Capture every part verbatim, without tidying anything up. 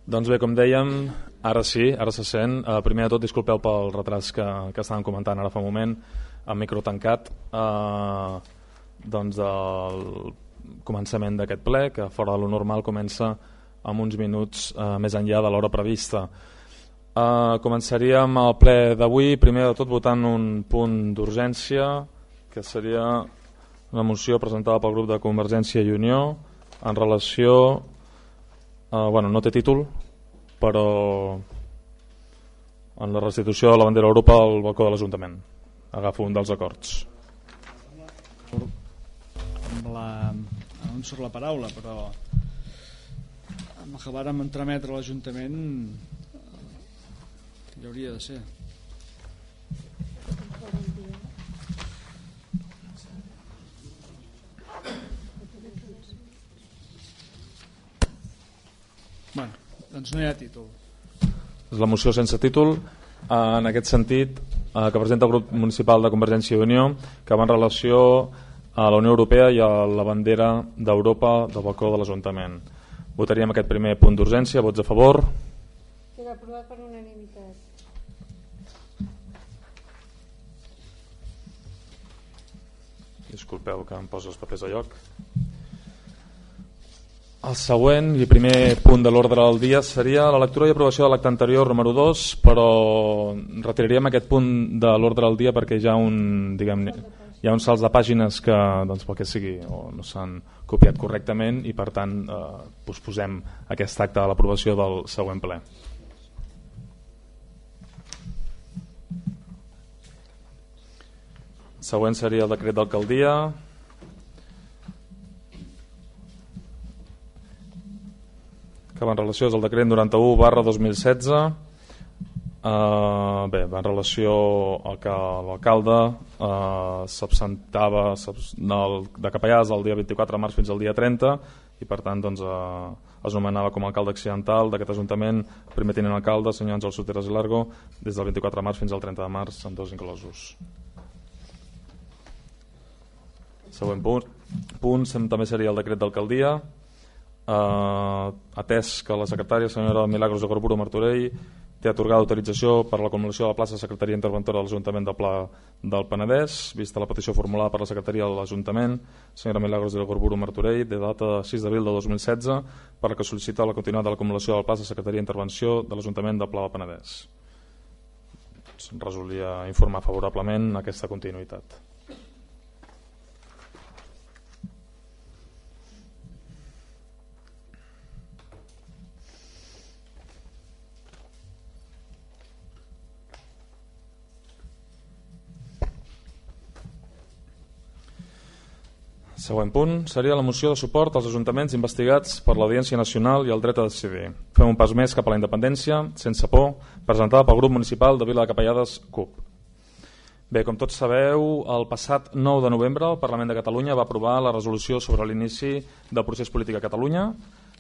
Doncs bé, com dèiem, ara sí, ara se sent. Uh, primer de tot, disculpeu pel retras que, que estàvem comentant ara fa un moment, amb micro tancat, uh, doncs del començament d'aquest ple, que fora de lo normal comença amb uns minuts uh, més enllà de l'hora prevista. Uh, començaríem el ple d'avui, primer de tot votant un punt d'urgència, que seria una moció presentada pel grup de Convergència i Unió en relació... Uh, bueno, no té títol, però en la restitució de la bandera Europa al balcó de l'Ajuntament. Agafo un dels acords. Amb la... no em surt la paraula, però amb el que vàrem entremetre a l'Ajuntament hi hauria de ser. Bueno, doncs no hi ha títol. És la moció sense títol, en aquest sentit, que presenta el grup municipal de Convergència i Unió, que va en relació a la Unió Europea i a la bandera d'Europa del balcó de l'Ajuntament. Votaríem aquest primer punt d'urgència. Vots a favor? Queda aprovat per unanimitat. Disculpeu que em poso els papers a lloc. El següent i primer punt de l'ordre del dia seria la lectura i aprovació de l'acte anterior número dos, però retiraríem aquest punt de l'ordre del dia perquè hi ha un, diguem, hi ha uns salts de pàgines que, doncs, pel que sigui, o no s'han copiat correctament i per tant eh, posposem aquest acte a l'aprovació del següent ple. Següent seria el decret d'alcaldia. Que va en relació és el decret noranta-u barra dos mil setze. Uh, bé, va en relació al que l'alcalde uh, s'absentava de Capellàs el dia vint-i-quatre de març fins al dia trenta i per tant doncs, uh, es nomenava com a alcalde accidental d'aquest ajuntament primer tinent alcalde, senyor Àngel Soteras i Largo, des del vint-i-quatre de març fins al trenta de març, amb dos inclosos. Següent punt, punt també seria el decret d'alcaldia. Uh, atès que la secretària senyora Milagros de Corburo Martorell té atorgada autorització per a la acumulació de la plaça de secretaria interventora de l'Ajuntament de Pla del Penedès, vista la petició formulada per la secretaria de l'Ajuntament senyora Milagros de Corburo Martorell de data sis d'abril de dos mil setze, per la que sol·licita la continuïtat de l'acumulació de la plaça de secretaria d'intervenció de l'Ajuntament de Pla del Penedès. Resolia informar favorablement aquesta continuïtat. Següent punt seria la moció de suport als ajuntaments investigats per l'Audiència Nacional i el dret a decidir. Fem un pas més cap a la independència, sense por, presentada pel grup municipal de Vila de Capellades, C U P. Bé, com tots sabeu, el passat nou de novembre el Parlament de Catalunya va aprovar la resolució sobre l'inici del procés polític a Catalunya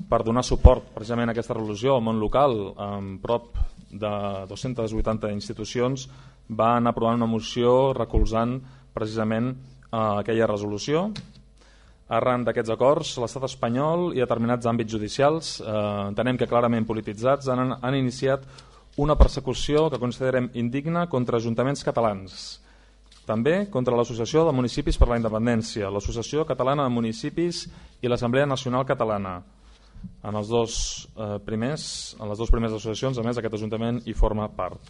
per donar suport precisament a aquesta resolució al món local, amb prop de dues-centes vuitanta institucions van aprovar una moció recolzant precisament eh, aquella resolució. Arran d'aquests acords, l'estat espanyol i determinats àmbits judicials, eh, entenem que clarament polititzats, han, han iniciat una persecució que considerem indigna contra ajuntaments catalans. També contra l'Associació de Municipis per la Independència, l'Associació Catalana de Municipis i l'Assemblea Nacional Catalana. En, els dos, eh, primers, en les dues primeres associacions, a més, aquest ajuntament hi forma part.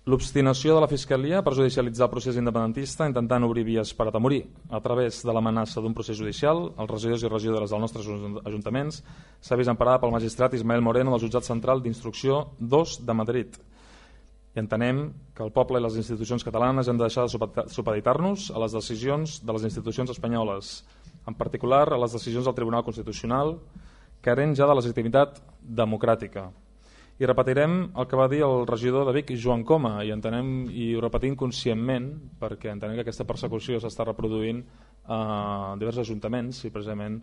L'obstinació de la Fiscalia per judicialitzar el procés independentista intentant obrir vies per atemorir a través de l'amenaça d'un procés judicial els regidors i regidores dels nostres ajuntaments s'ha vist emparada pel magistrat Ismael Moreno del jutjat central d'instrucció dos de Madrid. I entenem que el poble i les institucions catalanes hem de deixar de supeditar-nos a les decisions de les institucions espanyoles, en particular a les decisions del Tribunal Constitucional, carent ja de legitimitat democràtica. I repetirem el que va dir el regidor de Vic, Joan Coma, i entenem i ho repetim conscientment perquè entenem que aquesta persecució s'està reproduint a diversos ajuntaments i precisament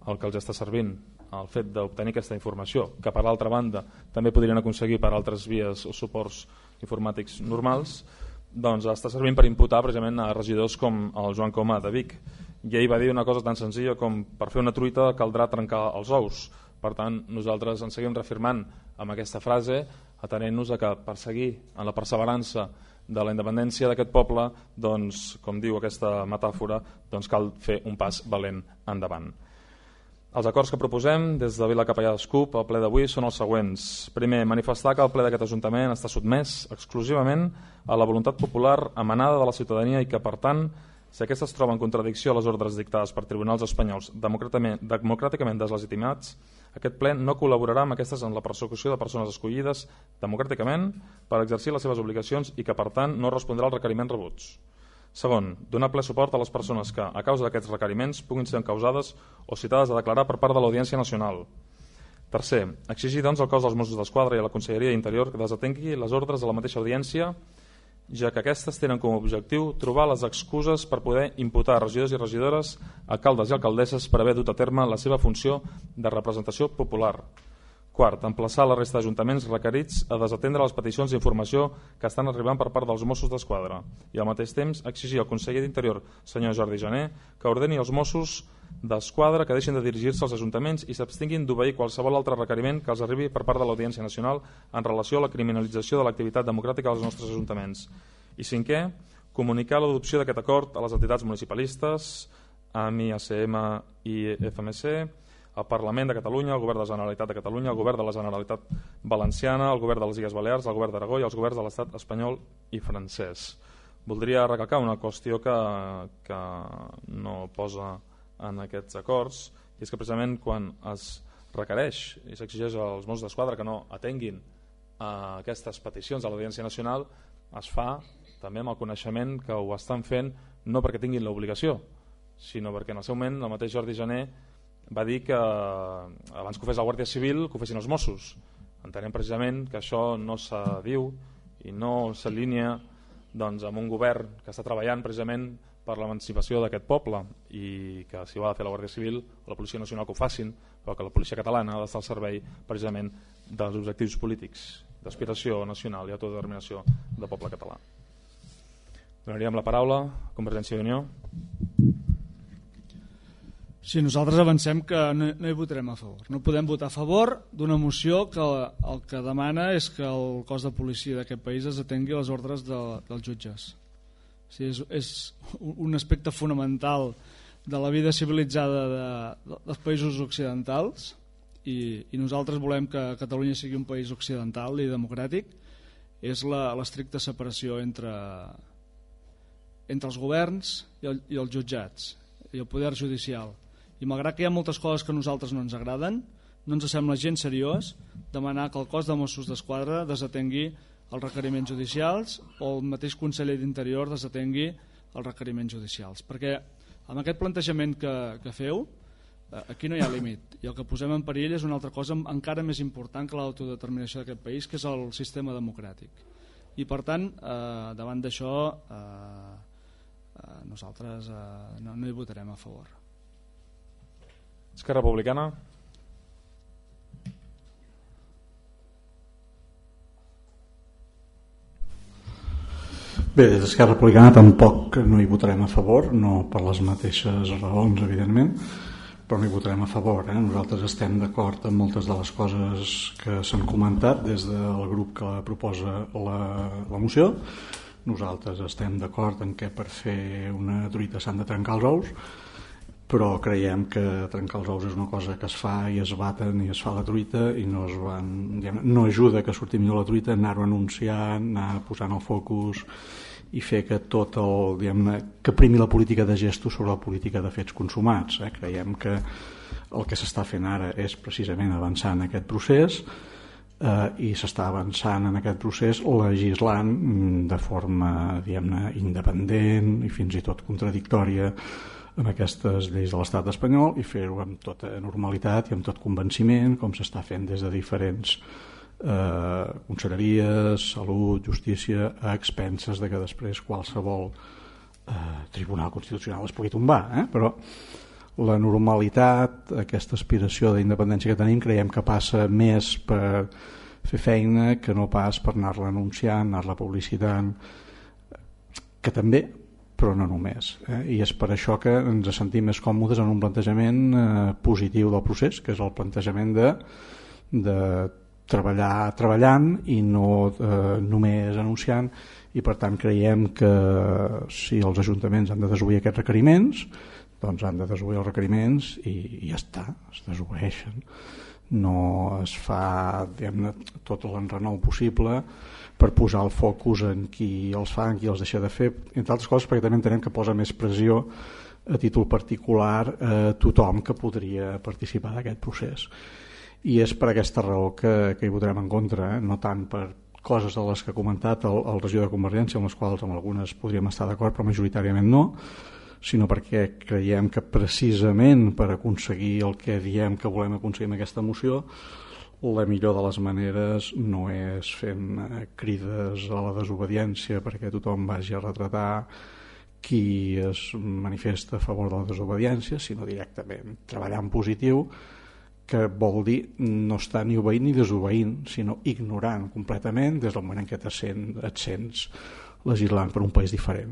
el que els està servint el fet d'obtenir aquesta informació, que per l'altra banda també podrien aconseguir per altres vies o suports informàtics normals, doncs està servint per imputar precisament a regidors com el Joan Coma de Vic. I ell va dir una cosa tan senzilla com per fer una truita caldrà trencar els ous. Per tant, nosaltres ens seguim reafirmant amb aquesta frase, atenent-nos a que per seguir en la perseverança de la independència d'aquest poble, doncs, com diu aquesta metàfora, doncs cal fer un pas valent endavant. Els acords que proposem des de Vila Capellà d'Escup al ple d'avui són els següents. Primer, manifestar que el ple d'aquest Ajuntament està sotmès exclusivament a la voluntat popular emanada de la ciutadania i que, per tant, si aquesta es troba en contradicció a les ordres dictades per tribunals espanyols democràticament, democràticament deslegitimats, aquest ple no col·laborarà amb aquestes en la persecució de persones escollides democràticament per exercir les seves obligacions i que, per tant, no respondrà als requeriments rebuts. Segon, donar ple suport a les persones que, a causa d'aquests requeriments, puguin ser encausades o citades a declarar per part de l'Audiència Nacional. Tercer, exigir doncs al cos dels Mossos d'Esquadra i a la Conselleria d'Interior que desatengui les ordres de la mateixa audiència, ja que aquestes tenen com a objectiu trobar les excuses per poder imputar regidors i regidores, alcaldes i alcaldesses per haver dut a terme la seva funció de representació popular. Quart, emplaçar la resta d'ajuntaments requerits a desatendre les peticions d'informació que estan arribant per part dels Mossos d'Esquadra i al mateix temps exigir al conseller d'Interior, senyor Jordi Jané, que ordeni als Mossos d'Esquadra que deixin de dirigir-se als ajuntaments i s'abstinguin d'obeir qualsevol altre requeriment que els arribi per part de l'Audiència Nacional en relació a la criminalització de l'activitat democràtica dels nostres ajuntaments. I cinquè, comunicar l'adopció d'aquest acord a les entitats municipalistes, A M I, A C M i F M C, al Parlament de Catalunya, al Govern de la Generalitat de Catalunya, al Govern de la Generalitat Valenciana, al Govern de les Illes Balears, al Govern d'Aragó i als governs de l'Estat espanyol i francès. Voldria recalcar una qüestió que, que no posa en aquests acords, i és que precisament quan es requereix i s'exigeix als Mossos d'Esquadra que no atenguin a aquestes peticions a l'Audiència Nacional, es fa també amb el coneixement que ho estan fent no perquè tinguin l'obligació, sinó perquè en el seu moment el mateix Jordi Jané va dir que abans que ho fes la Guàrdia Civil que ho fessin els Mossos. Entenem precisament que això no se diu i no s'alinea doncs, amb un govern que està treballant precisament per l'emancipació d'aquest poble i que si ho ha de fer la Guàrdia Civil o la Policia Nacional que ho facin, però que la Policia Catalana ha d'estar al servei precisament dels objectius polítics d'aspiració nacional i autodeterminació del poble català. Donaríem la paraula a Convergència i Unió. Sí, nosaltres avancem que no, no hi votarem a favor. No podem votar a favor d'una moció que el que demana és que el cos de policia d'aquest país es atengui les ordres de, dels jutges. O sigui, és, és un aspecte fonamental de la vida civilitzada de, de, dels països occidentals i, i nosaltres volem que Catalunya sigui un país occidental i democràtic. És la, l'estricta separació entre, entre els governs i, el, i els jutjats i el poder judicial. I malgrat que hi ha moltes coses que a nosaltres no ens agraden, no ens sembla gens seriós demanar que el cos de Mossos d'Esquadra desatengui els requeriments judicials o el mateix conseller d'Interior desatengui els requeriments judicials. Perquè amb aquest plantejament que, que feu, aquí no hi ha límit. I el que posem en perill és una altra cosa encara més important que l'autodeterminació d'aquest país, que és el sistema democràtic. I per tant, eh, davant d'això, eh, eh, nosaltres eh, no, no hi votarem a favor. Esquerra Republicana. Bé, des d'Esquerra Republicana tampoc no hi votarem a favor, no per les mateixes raons, evidentment, però no hi votarem a favor. Eh? Nosaltres estem d'acord amb moltes de les coses que s'han comentat des del grup que proposa la, la moció. Nosaltres estem d'acord en què per fer una truita s'han de trencar els ous, però creiem que trencar els ous és una cosa que es fa i es baten i es fa la truita i no, es van, diguem, no ajuda que surti millor la truita anar-ho anunciant, anar posant el focus i fer que tot el, diguem, que primi la política de gestos sobre la política de fets consumats. Eh? Creiem que el que s'està fent ara és precisament avançar en aquest procés eh, i s'està avançant en aquest procés legislant de forma, diguem-ne, independent i fins i tot contradictòria amb aquestes lleis de l'estat espanyol i fer-ho amb tota normalitat i amb tot convenciment, com s'està fent des de diferents eh, conselleries, salut, justícia, a expenses de que després qualsevol eh, tribunal constitucional es pugui tombar. Eh? Però la normalitat, aquesta aspiració d'independència que tenim, creiem que passa més per fer feina que no pas per anar-la anunciant, anar-la publicitant, que també però no només. Eh? I és per això que ens sentim més còmodes en un plantejament eh, positiu del procés, que és el plantejament de, de treballar treballant i no eh, només anunciant, i per tant creiem que si els ajuntaments han de desobeir aquests requeriments, doncs han de desobeir els requeriments i, i ja està, es desobeeixen. No es fa, diguem-ne, tot l'enrenou possible per posar el focus en qui els fa, en qui els deixa de fer, entre altres coses perquè també entenem que posa més pressió a títol particular a tothom que podria participar d'aquest procés. I és per aquesta raó que, que hi votarem en contra, eh? No tant per coses de les que ha comentat el, el regidor de Convergència, amb les quals amb algunes podríem estar d'acord, però majoritàriament no, sinó perquè creiem que precisament per aconseguir el que diem que volem aconseguir amb aquesta moció, la millor de les maneres no és fent crides a la desobediència perquè tothom vagi a retratar qui es manifesta a favor de la desobediència, sinó directament treballar en positiu, que vol dir no estar ni obeint ni desobeint, sinó ignorant completament des del moment en què et sents, et sents legislant per un país diferent.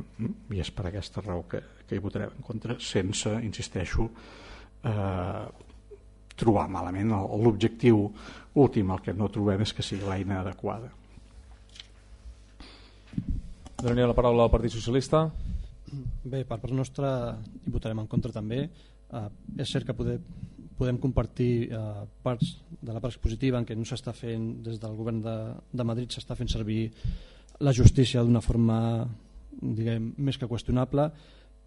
I és per aquesta raó que, que hi votarem en contra, sense, insisteixo, eh, trobar malament l'objectiu últim. El que no trobem és que sigui l'eina adequada. Donaria la paraula al Partit Socialista. Bé, per part nostra hi votarem en contra també. Uh, és cert que poder, podem compartir uh, parts de la part expositiva en què no s'està fent des del govern de, de Madrid, s'està fent servir la justícia d'una forma, diguem, més que qüestionable,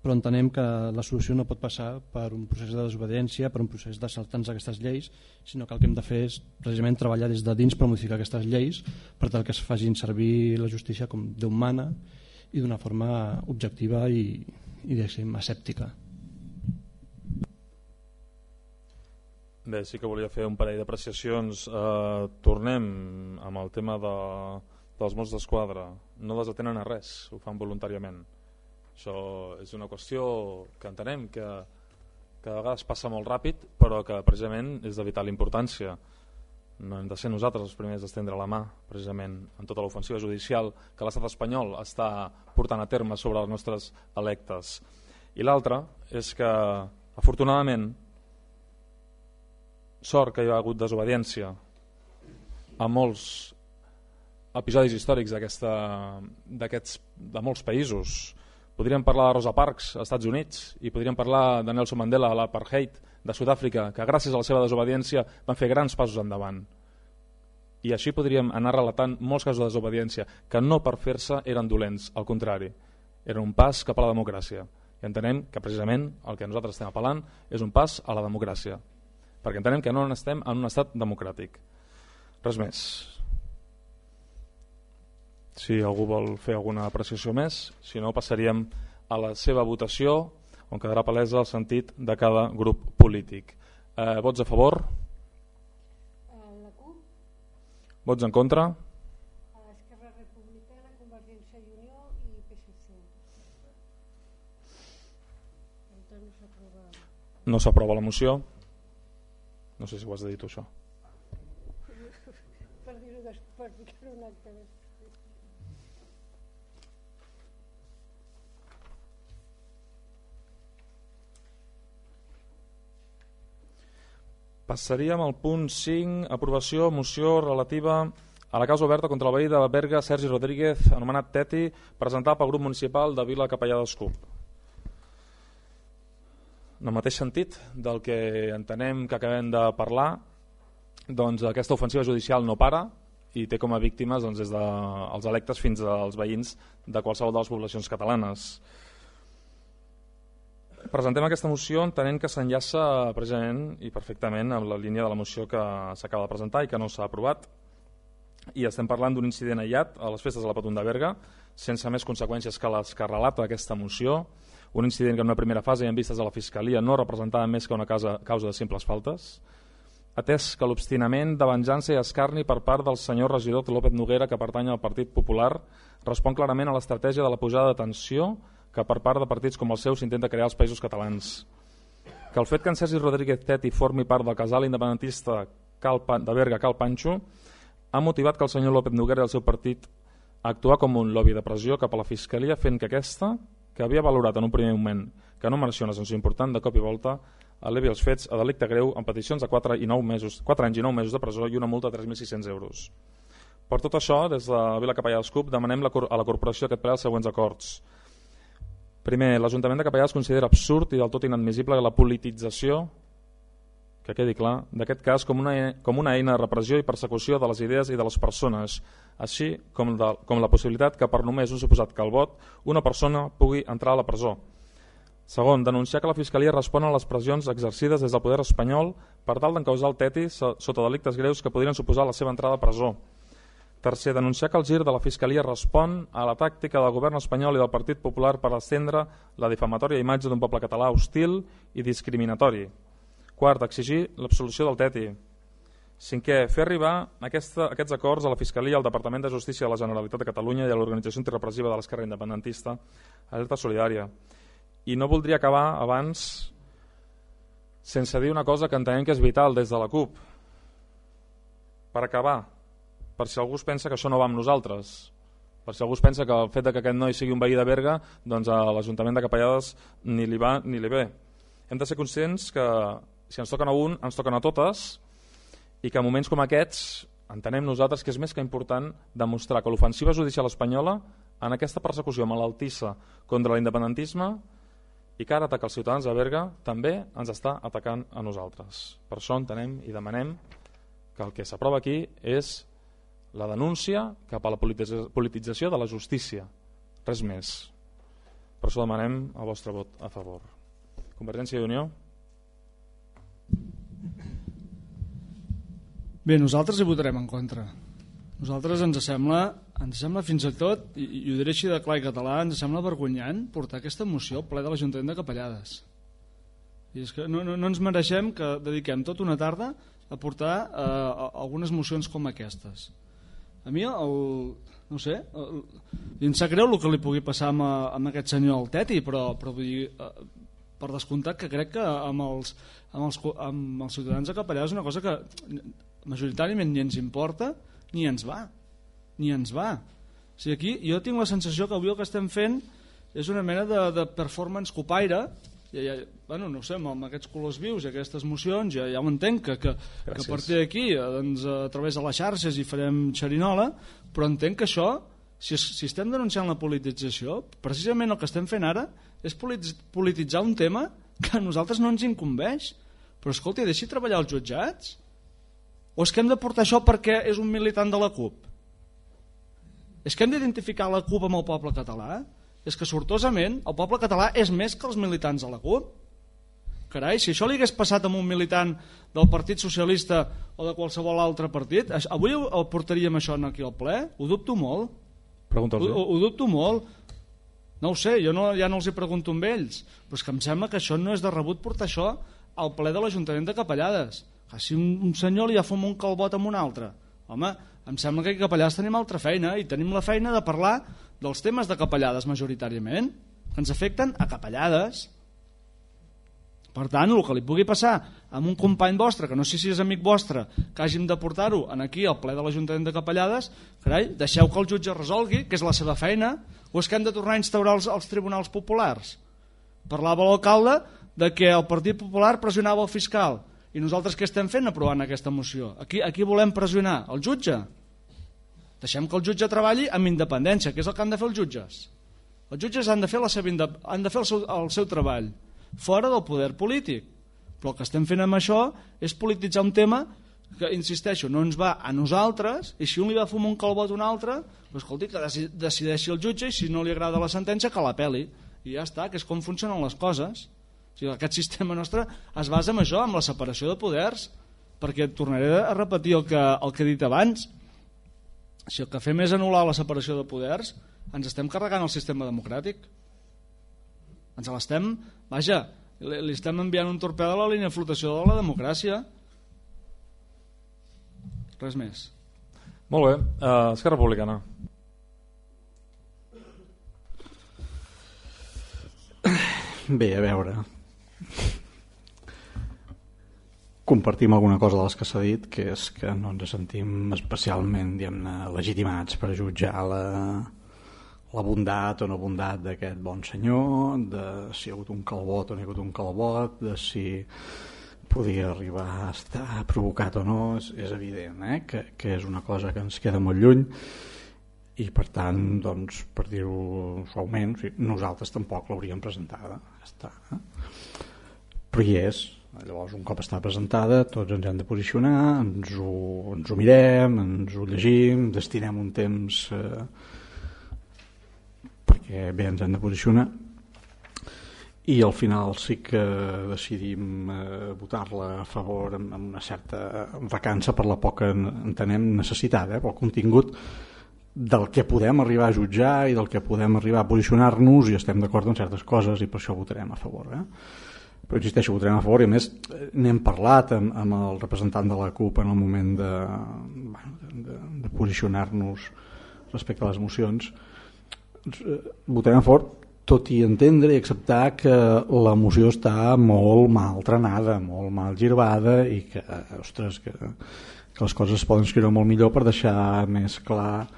però entenem que la solució no pot passar per un procés de desobediència, per un procés de saltar-nos aquestes lleis, sinó que el que hem de fer és precisament treballar des de dins per modificar aquestes lleis per tal que es facin servir la justícia com Déu mana i d'una forma objectiva i, i diguéssim, asèptica. Bé, sí que volia fer un parell d'apreciacions. Eh, tornem amb el tema de, dels Mossos d'Esquadra. No desatenen a res, ho fan voluntàriament. Això és una qüestió que entenem que, que de vegades passa molt ràpid, però que precisament és de vital importància. No hem de ser nosaltres els primers d'estendre la mà, precisament, en tota l'ofensiva judicial que l'estat espanyol està portant a terme sobre els nostres electes. I l'altre és que, afortunadament, sort que hi ha hagut desobediència a molts episodis històrics d'aquests de molts països. Podríem parlar de Rosa Parks als Estats Units i podríem parlar de Nelson Mandela a l'apartheid de Sud-àfrica, que gràcies a la seva desobediència van fer grans passos endavant. I així podríem anar relatant molts casos de desobediència que no per fer-se eren dolents, al contrari, eren un pas cap a la democràcia. I entenem que precisament el que nosaltres estem apel·lant és un pas a la democràcia, perquè entenem que no estem en un estat democràtic. Res més. Si algú vol fer alguna apreciació més, si no passaríem a la seva votació, on quedarà palesa el sentit de cada grup polític. Eh, vots a favor? La CUP. Vots en contra? Esquerra Republicana, Convergència i Unió i P S C. Per tant, no s'aprova. No s'aprova la moció. No sé si ho has de dir tu, això. Per dir-ho després, ficar un acte després. Passaríem al punt cinc, aprovació, moció relativa a la causa oberta contra el veí de Berga, Sergi Rodríguez, anomenat Teti, presentat pel grup municipal de Vila Capellà d'Escup. En el mateix sentit del que entenem que acabem de parlar, doncs aquesta ofensiva judicial no para i té com a víctimes doncs, des dels electes fins als veïns de qualsevol de les poblacions catalanes. Presentem aquesta moció entenent que s'enllaça precisament i perfectament amb la línia de la moció que s'acaba de presentar i que no s'ha aprovat, i estem parlant d'un incident aïllat a les festes de la Patum de Berga, sense més conseqüències que les que relata aquesta moció, un incident que en una primera fase i en vistes de la Fiscalia no representava més que una causa, causa de simples faltes, atès que l'obstinament de venjança i escarni per part del senyor regidor López Noguera, que pertany al Partit Popular, respon clarament a l'estratègia de la pujada de tensió que per part de partits com el seu s'intenta crear als països catalans. Que el fet que en Sergi Rodríguez Teti formi part del casal independentista de Berga Cal Panxo ha motivat que el senyor López Noguera i el seu partit actuar com un lobby de pressió cap a la Fiscalia, fent que aquesta, que havia valorat en un primer moment que no mereixia una sanció important, de cop i volta elevi els fets a delicte greu amb peticions de quatre anys i nou mesos de presó i una multa de tres mil sis-cents euros. Per tot això, des de Vila Capellades C U P demanem a la corporació aquest ple els següents acords. Primer, l'Ajuntament de Capellades considera absurd i del tot inadmissible la politització, que quedi clar, d'aquest cas com una, com una eina de repressió i persecució de les idees i de les persones, així com, de, com la possibilitat que per només un suposat calbot una persona pugui entrar a la presó. Segon, denunciar que la Fiscalia respon a les pressions exercides des del poder espanyol per tal d'encausar el Teti sota delictes greus que podrien suposar la seva entrada a presó. Tercer, denunciar que el gir de la Fiscalia respon a la tàctica del govern espanyol i del Partit Popular per estendre la difamatòria imatge d'un poble català hostil i discriminatori. Quart, exigir l'absolució del Teti. Cinquè, fer arribar aquesta, aquests acords a la Fiscalia, al Departament de Justícia de la Generalitat de Catalunya i a l'organització antirepressiva de l'esquerra independentista, Alerta Solidària. I no voldria acabar abans sense dir una cosa que entenem que és vital des de la C U P. Per acabar, per si algú es pensa que això no va amb nosaltres, per si algú es pensa que el fet que aquest noi sigui un veí de Berga, doncs a l'Ajuntament de Capellades ni li va ni li ve. Hem de ser conscients que si ens toquen a un, ens toquen a totes, i que en moments com aquests entenem nosaltres que és més que important demostrar que l'ofensiva judicial espanyola en aquesta persecució malaltissa contra l'independentisme i que ara ataca els ciutadans de Berga també ens està atacant a nosaltres. Per això entenem i demanem que el que s'aprova aquí és la denúncia cap a la politització de la justícia, res més. Per això demanem el vostre vot a favor. Convergència i Unió. Bé, nosaltres hi votarem en contra. Nosaltres ens sembla, ens sembla fins i tot, i, i ho diré així de clar i català, ens sembla vergonyant portar aquesta moció al ple de l'Ajuntament de Capellades. I és que no, no, no ens mereixem que dediquem tota una tarda a portar eh, algunes mocions com aquestes. A mi, el, no sé, el, em sap greu el que li pugui passar amb, amb aquest senyor al Teti, però, però vull dir, eh, per descomptat que crec que amb els, amb els, amb els ciutadans de Capellades és una cosa que majoritàriament ni ens importa ni ens va, ni ens va. O sigui, aquí jo tinc la sensació que avui el que estem fent és una mena de, de performance copaire. Ja, ja, bueno, no sé, amb aquests colors vius i aquestes mocions ja, ja ho entenc que, que, que a partir d'aquí doncs, a través de les xarxes hi farem xerinola, però entenc que això, si, si estem denunciant la politització, precisament el que estem fent ara és polititzar un tema que a nosaltres no ens incumbeix. Però escolti, deixi treballar els jutjats. O és que hem de portar això perquè és un militant de la C U P? És que hem d'identificar la C U P amb el poble català? És que sortosament el poble català és més que els militants de la C U P. Carai, si això li hagués passat amb un militant del Partit Socialista o de qualsevol altre partit, avui el portaríem això aquí al ple? Ho dubto molt. Pregunta'ls. Ho, ho dubto molt. No ho sé, jo no, ja no els hi pregunto amb ells, però és que em sembla que això no és de rebut portar això al ple de l'Ajuntament de Capellades. Si un, un senyor li ha fum un calbot amb un altre, home, em sembla que a Capellades tenim altra feina i tenim la feina de parlar dels temes de Capellades majoritàriament, que ens afecten a Capellades. Per tant, el que li pugui passar amb un company vostre, que no sé si és amic vostre, que hàgim de portar-ho aquí al ple de l'Ajuntament de Capellades, carai, deixeu que el jutge resolgui, que és la seva feina, o és que hem de tornar a instaurar els, els tribunals populars? Parlava l'alcalde de que el Partit Popular pressionava el fiscal, i nosaltres què estem fent aprovant aquesta moció? Aquí, aquí volem pressionar el jutge? Deixem que el jutge treballi amb independència, que és el que han de fer els jutges. Els jutges han de fer, la seva, han de fer el, seu, el seu treball fora del poder polític, però el que estem fent amb això és polititzar un tema que, insisteixo, no ens va a nosaltres, i si un li va fumar un calbot a un altre, doncs, escolti, que decideixi el jutge, i si no li agrada la sentència que l'apel·li, i ja està, que és com funcionen les coses. O sigui, aquest sistema nostre es basa en això, en la separació de poders, perquè tornaré a repetir el que, el que he dit abans. Si el que fem és anul·lar la separació de poders, ens estem carregant el sistema democràtic. Ens l'estem, vaja, li estem enviant un torpede a la línia de flotació de la democràcia. Res més. Molt bé, uh, Esquerra Republicana. Bé, a veure, compartim alguna cosa de les que s'ha dit, que és que no ens sentim especialment, diguem-ne, legitimats per jutjar la, la bondat o no bondat d'aquest bon senyor, de si hi ha hagut un calbot o no hi ha hagut un calbot, de si podia arribar a estar provocat o no. És, és evident eh? que, que és una cosa que ens queda molt lluny, i per tant, doncs, per dir-ho suaument, nosaltres tampoc l'hauríem presentada, ja està, eh? Però hi és. Llavors, un cop està presentada, tots ens hem de posicionar, ens ho, ens ho mirem, ens ho llegim, destinem un temps eh, perquè bé ens hem de posicionar, i al final sí que decidim eh, votar-la a favor amb, amb una certa recança per la poca, entenem, necessitat, eh, pel contingut del que podem arribar a jutjar i del que podem arribar a posicionar-nos, i estem d'acord en certes coses i per això votarem a favor. Eh? Però insisteixo, votarem a favor, i a més n'hem parlat amb, amb el representant de la CUP en el moment de, de, de posicionar-nos respecte a les mocions. Votarem a favor, tot i entendre i acceptar que la moció està molt mal trenada, molt mal girbada, i que, ostres, que, que les coses es poden escriure molt millor per deixar més clar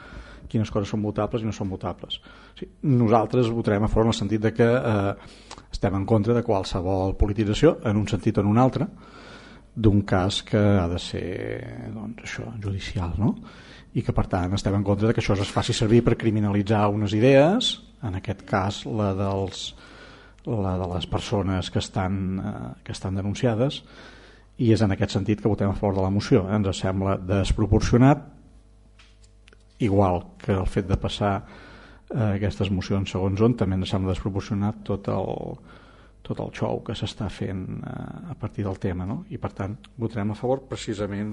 quines coses són votables i no són votables. Sí, nosaltres votarem a favor en el sentit de que eh, estem en contra de qualsevol politització, en un sentit o en un altre, d'un cas que ha de ser, doncs, això, judicial, no? I que per tant estem en contra de que això es faci servir per criminalitzar unes idees, en aquest cas la, dels, la de les persones que estan, eh, que estan denunciades, i és en aquest sentit que votem a favor de la moció. Eh? Ens sembla desproporcionat, igual que el fet de passar eh, aquestes mocions segons on, també ens sembla desproporcionat tot el, tot el xou que s'està fent eh, a partir del tema, no? I per tant votarem a favor precisament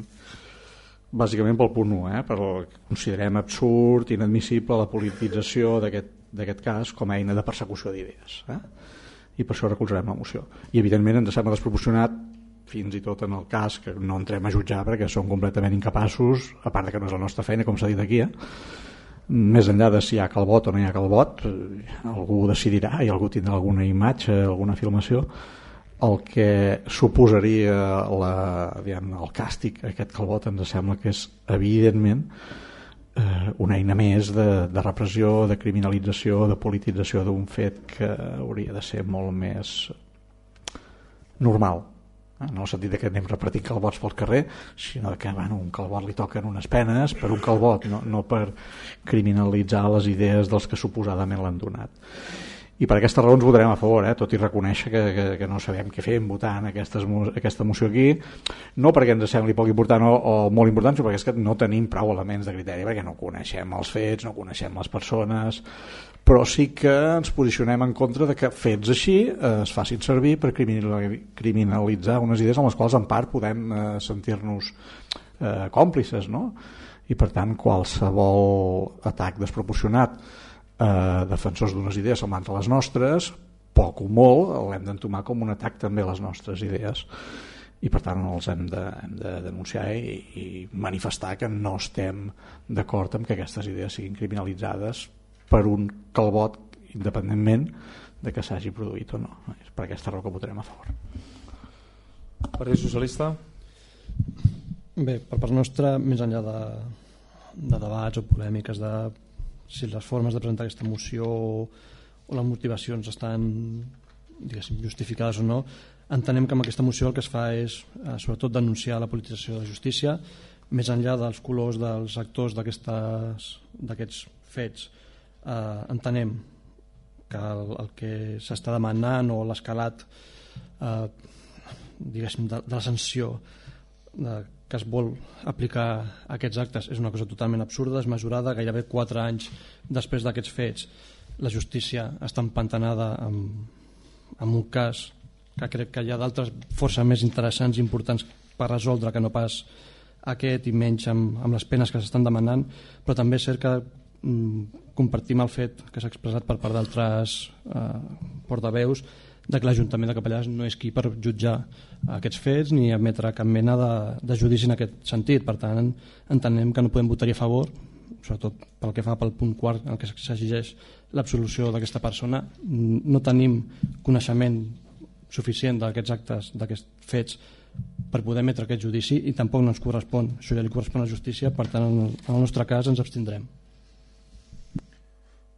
bàsicament pel punt u, eh? Perquè considerem absurd, inadmissible la politització d'aquest cas com a eina de persecució d'idees, eh? I per això recolzarem la moció. I evidentment ens sembla desproporcionat fins i tot en el cas que no entrem a jutjar perquè som completament incapaços, a part de que no és la nostra feina, com s'ha dit aquí, eh? Més enllà de si hi ha calbot o no hi ha calbot, algú decidirà i algú tindrà alguna imatge, alguna filmació, el que suposaria la, diguem, el càstig a aquest calbot ens sembla que és evidentment eh, una eina més de, de repressió, de criminalització, de politització d'un fet que hauria de ser molt més normal, no en el sentit que anem repartint calbots pel carrer, sinó que bueno, un calbot li toquen unes penes per un calbot, no, no per criminalitzar les idees dels que suposadament l'han donat. I per aquestes raons votarem a favor, eh? Tot i reconèixer que, que, que no sabem què fer votant aquestes, aquesta moció aquí, no perquè ens sembli poc important o, o molt important, sinó perquè és que no tenim prou elements de criteri, perquè no coneixem els fets, no coneixem les persones, però sí que ens posicionem en contra de que fets així eh, es facin servir per criminalitzar unes idees amb les quals en part podem eh, sentir-nos eh, còmplices, no? I per tant qualsevol atac desproporcionat a defensors d'unes idees semblant a les nostres, poc o molt l'hem d'entomar com un atac també a les nostres idees, i per tant els hem de, hem de denunciar i, i manifestar que no estem d'acord amb que aquestes idees siguin criminalitzades per un calbot, independentment de que s'hagi produït o no. És per aquesta raó que votarem a favor. Partit Socialista? Bé, per part nostra, més enllà de, de debats o polèmiques de si les formes de presentar aquesta moció o les motivacions estan, diguéssim, justificades o no, entenem que amb aquesta moció el que es fa és eh, sobretot denunciar la politització de la justícia, més enllà dels colors dels actors d'aquests fets. Eh, entenem que el, el que s'està demanant o l'escalat eh, diguéssim de, de la sanció de, que es vol aplicar a aquests actes és una cosa totalment absurda, desmesurada. Gairebé quatre anys després d'aquests fets la justícia està empantanada amb, amb un cas que crec que hi ha d'altres força més interessants i importants per resoldre que no pas aquest, i menys amb, amb les penes que s'estan demanant. Però també és cert que mm, compartim el fet que s'ha expressat per part d'altres eh, portaveus de que l'Ajuntament de Capellades no és qui per jutjar aquests fets ni emetre cap mena de, de judici en aquest sentit. Per tant, entenem que no podem votar-hi a favor, sobretot pel que fa pel punt quart en què s'exigeix l'absolució d'aquesta persona. No tenim coneixement suficient d'aquests actes, d'aquests fets, per poder emetre aquest judici, i tampoc no ens correspon. Això ja li correspon a la justícia, per tant, en el nostre cas ens abstindrem.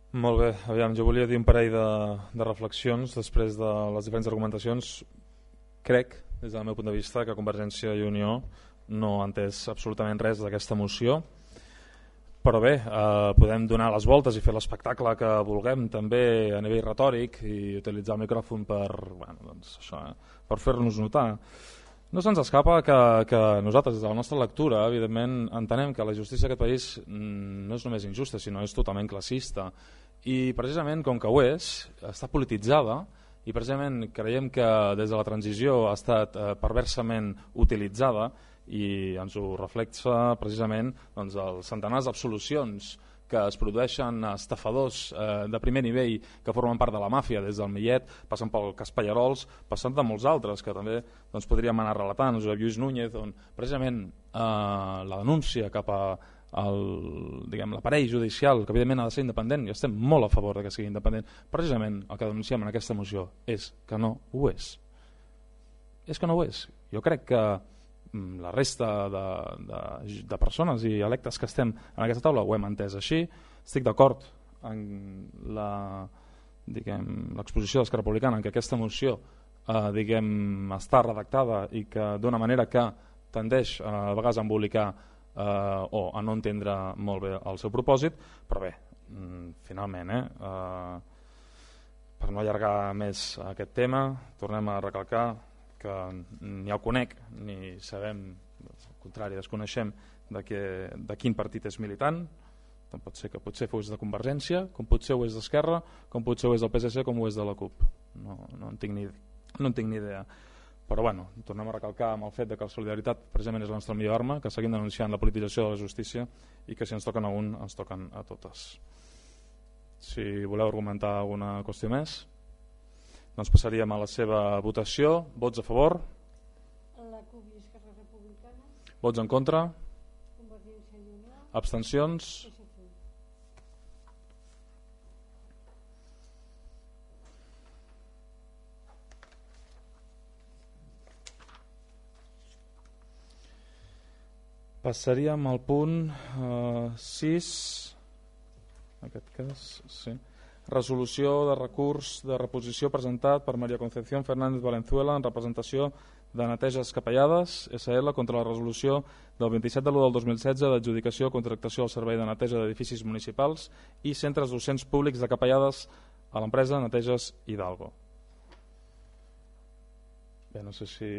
Molt bé, aviam, jo volia dir un parell de, de reflexions després de les diferents argumentacions. Crec, des del meu punt de vista, que Convergència i Unió no ha entès absolutament res d'aquesta moció, però bé, eh, podem donar les voltes i fer l'espectacle que vulguem també a nivell retòric i utilitzar el micròfon per, bueno, doncs això, eh, per fer-nos notar. No se'ns escapa que, que nosaltres, des de la nostra lectura, evidentment, entenem que la justícia d'aquest país no és només injusta, sinó és totalment classista. I precisament, com que ho és, està polititzada, i precisament creiem que des de la transició ha estat eh, perversament utilitzada, i ens ho reflexa precisament doncs, els centenars d'absolucions que es produeixen a estafadors eh, de primer nivell que formen part de la màfia, des del Millet, passant pel cas Pallarols, passant de molts altres que també doncs, podríem anar relatant, Josep Lluís Núñez, on precisament eh, la denúncia cap a l'aparell judicial, que evidentment ha de ser independent, i estem molt a favor de que sigui independent, precisament el que denunciem en aquesta moció és que no ho és. És que no ho és. Jo crec que la resta de, de, de persones i electes que estem en aquesta taula ho hem entès així. Estic d'acord en l'exposició d'Esquerra Republicana en que aquesta moció eh, diguem, està redactada i que d'una manera que tendeix eh, a vegades a embolicar eh, o a no entendre molt bé el seu propòsit, però bé, finalment eh, eh, per no allargar més aquest tema, tornem a recalcar que ni el conec ni sabem, al contrari, desconeixem de, que, de quin partit és militant. Tant pot ser que potser fos de Convergència, com potser ho és d'Esquerra, com potser ho és del P S C, com ho és de la CUP. No, no, en tinc ni, no en tinc ni idea. Però bueno, tornem a recalcar amb el fet de que la solidaritat precisament és la nostra millor arma, que seguim denunciant la politització de la justícia i que si ens toquen a un, ens toquen a totes. Si voleu argumentar alguna qüestió més, doncs passaríem a la seva votació. Vots a favor? La CUP i Esquerra Republicana. Vots en contra? Convergència i Unió. Abstencions? P S C. Passaríem al punt eh, sis, en aquest cas, sí. Resolució de recurs de reposició presentat per Maria Concepción Fernández Valenzuela en representació de Neteges Capellades S L contra la resolució del vint-i-set de l'u del dos mil setze d'adjudicació o contractació al servei de neteja d'edificis municipals i centres docents públics de Capellades a l'empresa Neteges Hidalgo. Bé, no sé si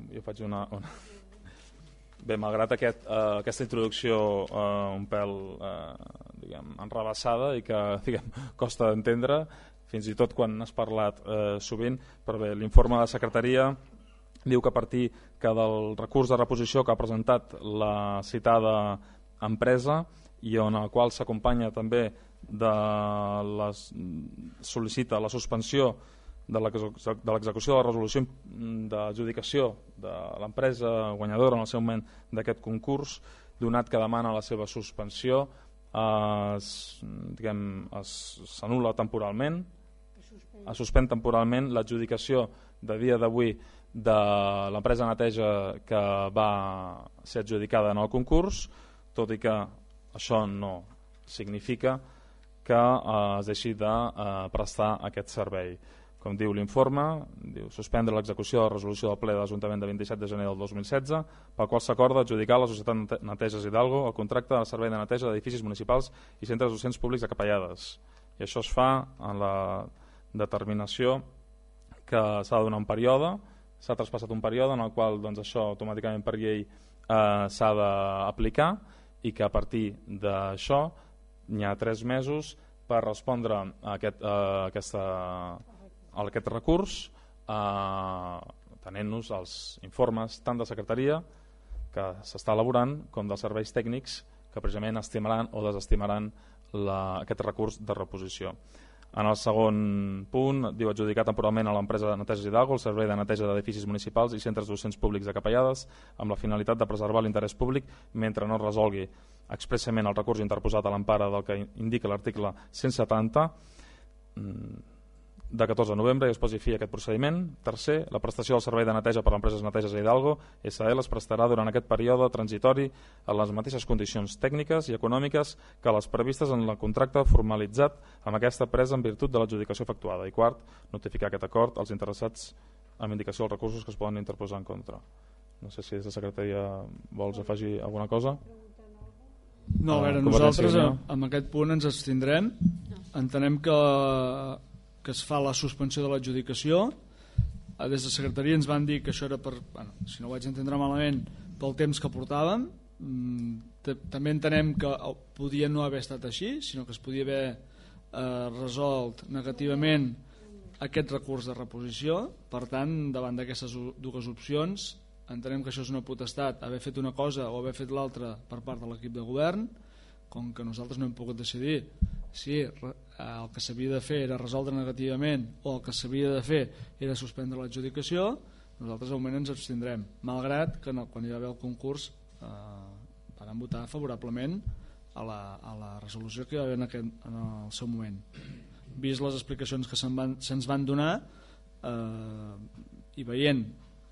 jo faig una... una... Bé, malgrat aquest, eh, aquesta introducció eh, un pèl eh, diguem, enrebaçada i que diguem, costa d'entendre, fins i tot quan has parlat eh, sovint, però bé, l'informe de la secretaria diu que a partir que del recurs de reposició que ha presentat la citada empresa i on el qual s'acompanya també de les, sol·licita la suspensió de l'execució de la resolució d'adjudicació de l'empresa guanyadora en el seu moment d'aquest concurs, donat que demana la seva suspensió, s'anul·la temporalment, es suspèn temporalment l'adjudicació de dia d'avui de l'empresa neteja que va ser adjudicada en el concurs, tot i que això no significa que eh, es deixi de eh, prestar aquest servei. Com diu l'informe, diu suspendre l'execució de la resolució del ple de l'Ajuntament de vint-i-set de gener del dos mil setze, pel qual s'acorda adjudicar a la Societat Neteges Hidalgo el contracte de servei de neteja d'edificis municipals i centres docents públics de Capellades. I això es fa en la determinació que s'ha de donar un període, s'ha traspassat un període en el qual doncs, això automàticament per llei eh, s'ha d'aplicar i que a partir d'això n'hi ha tres mesos per respondre a aquest, a aquesta, a aquest recurs eh, tenint-nos els informes tant de secretaria que s'està elaborant com dels serveis tècnics que precisament estimaran o desestimaran la, aquest recurs de reposició. En el segon punt, diu adjudicar temporalment a l'empresa de Neteges Hidalgo el servei de neteja d'edificis municipals i centres docents públics de Capellades amb la finalitat de preservar l'interès públic mentre no resolgui expressament el recurs interposat a l'empara del que indica l'article cent setanta. de catorze de novembre i es posi fi a aquest procediment. Tercer, la prestació del servei de neteja per l'empresa Neteges Hidalgo S L es prestarà durant aquest període transitori a les mateixes condicions tècniques i econòmiques que les previstes en el contracte formalitzat amb aquesta empresa en virtut de l'adjudicació efectuada. I quart, notificar aquest acord als interessats amb indicació dels recursos que es poden interposar en contra. No sé si des de secretaria vols afegir alguna cosa. No, a veure, Ah, nosaltres Convergència i Unió. amb aquest punt ens abstindrem. Entenem que, que es fa la suspensió de l'adjudicació. Des de secretaria ens van dir que això era per, bueno, si no ho vaig entendre malament, pel temps que portàvem. Mm, t- També entenem que podia no haver estat així, sinó que es podia haver eh, resolt negativament aquest recurs de reposició. Per tant, davant d'aquestes u- dues opcions, entenem que això és una potestat, haver fet una cosa o haver fet l'altra per part de l'equip de govern. Com que nosaltres no hem pogut decidir si re- el que s'havia de fer era resoldre negativament o el que s'havia de fer era suspendre l'adjudicació, nosaltres al moment ens abstindrem, malgrat que no, quan hi va haver el concurs eh, van votar favorablement a la, a la resolució que hi va haver en, aquest, en el seu moment. Vist les explicacions que se'n van, se'ns van donar eh, i veient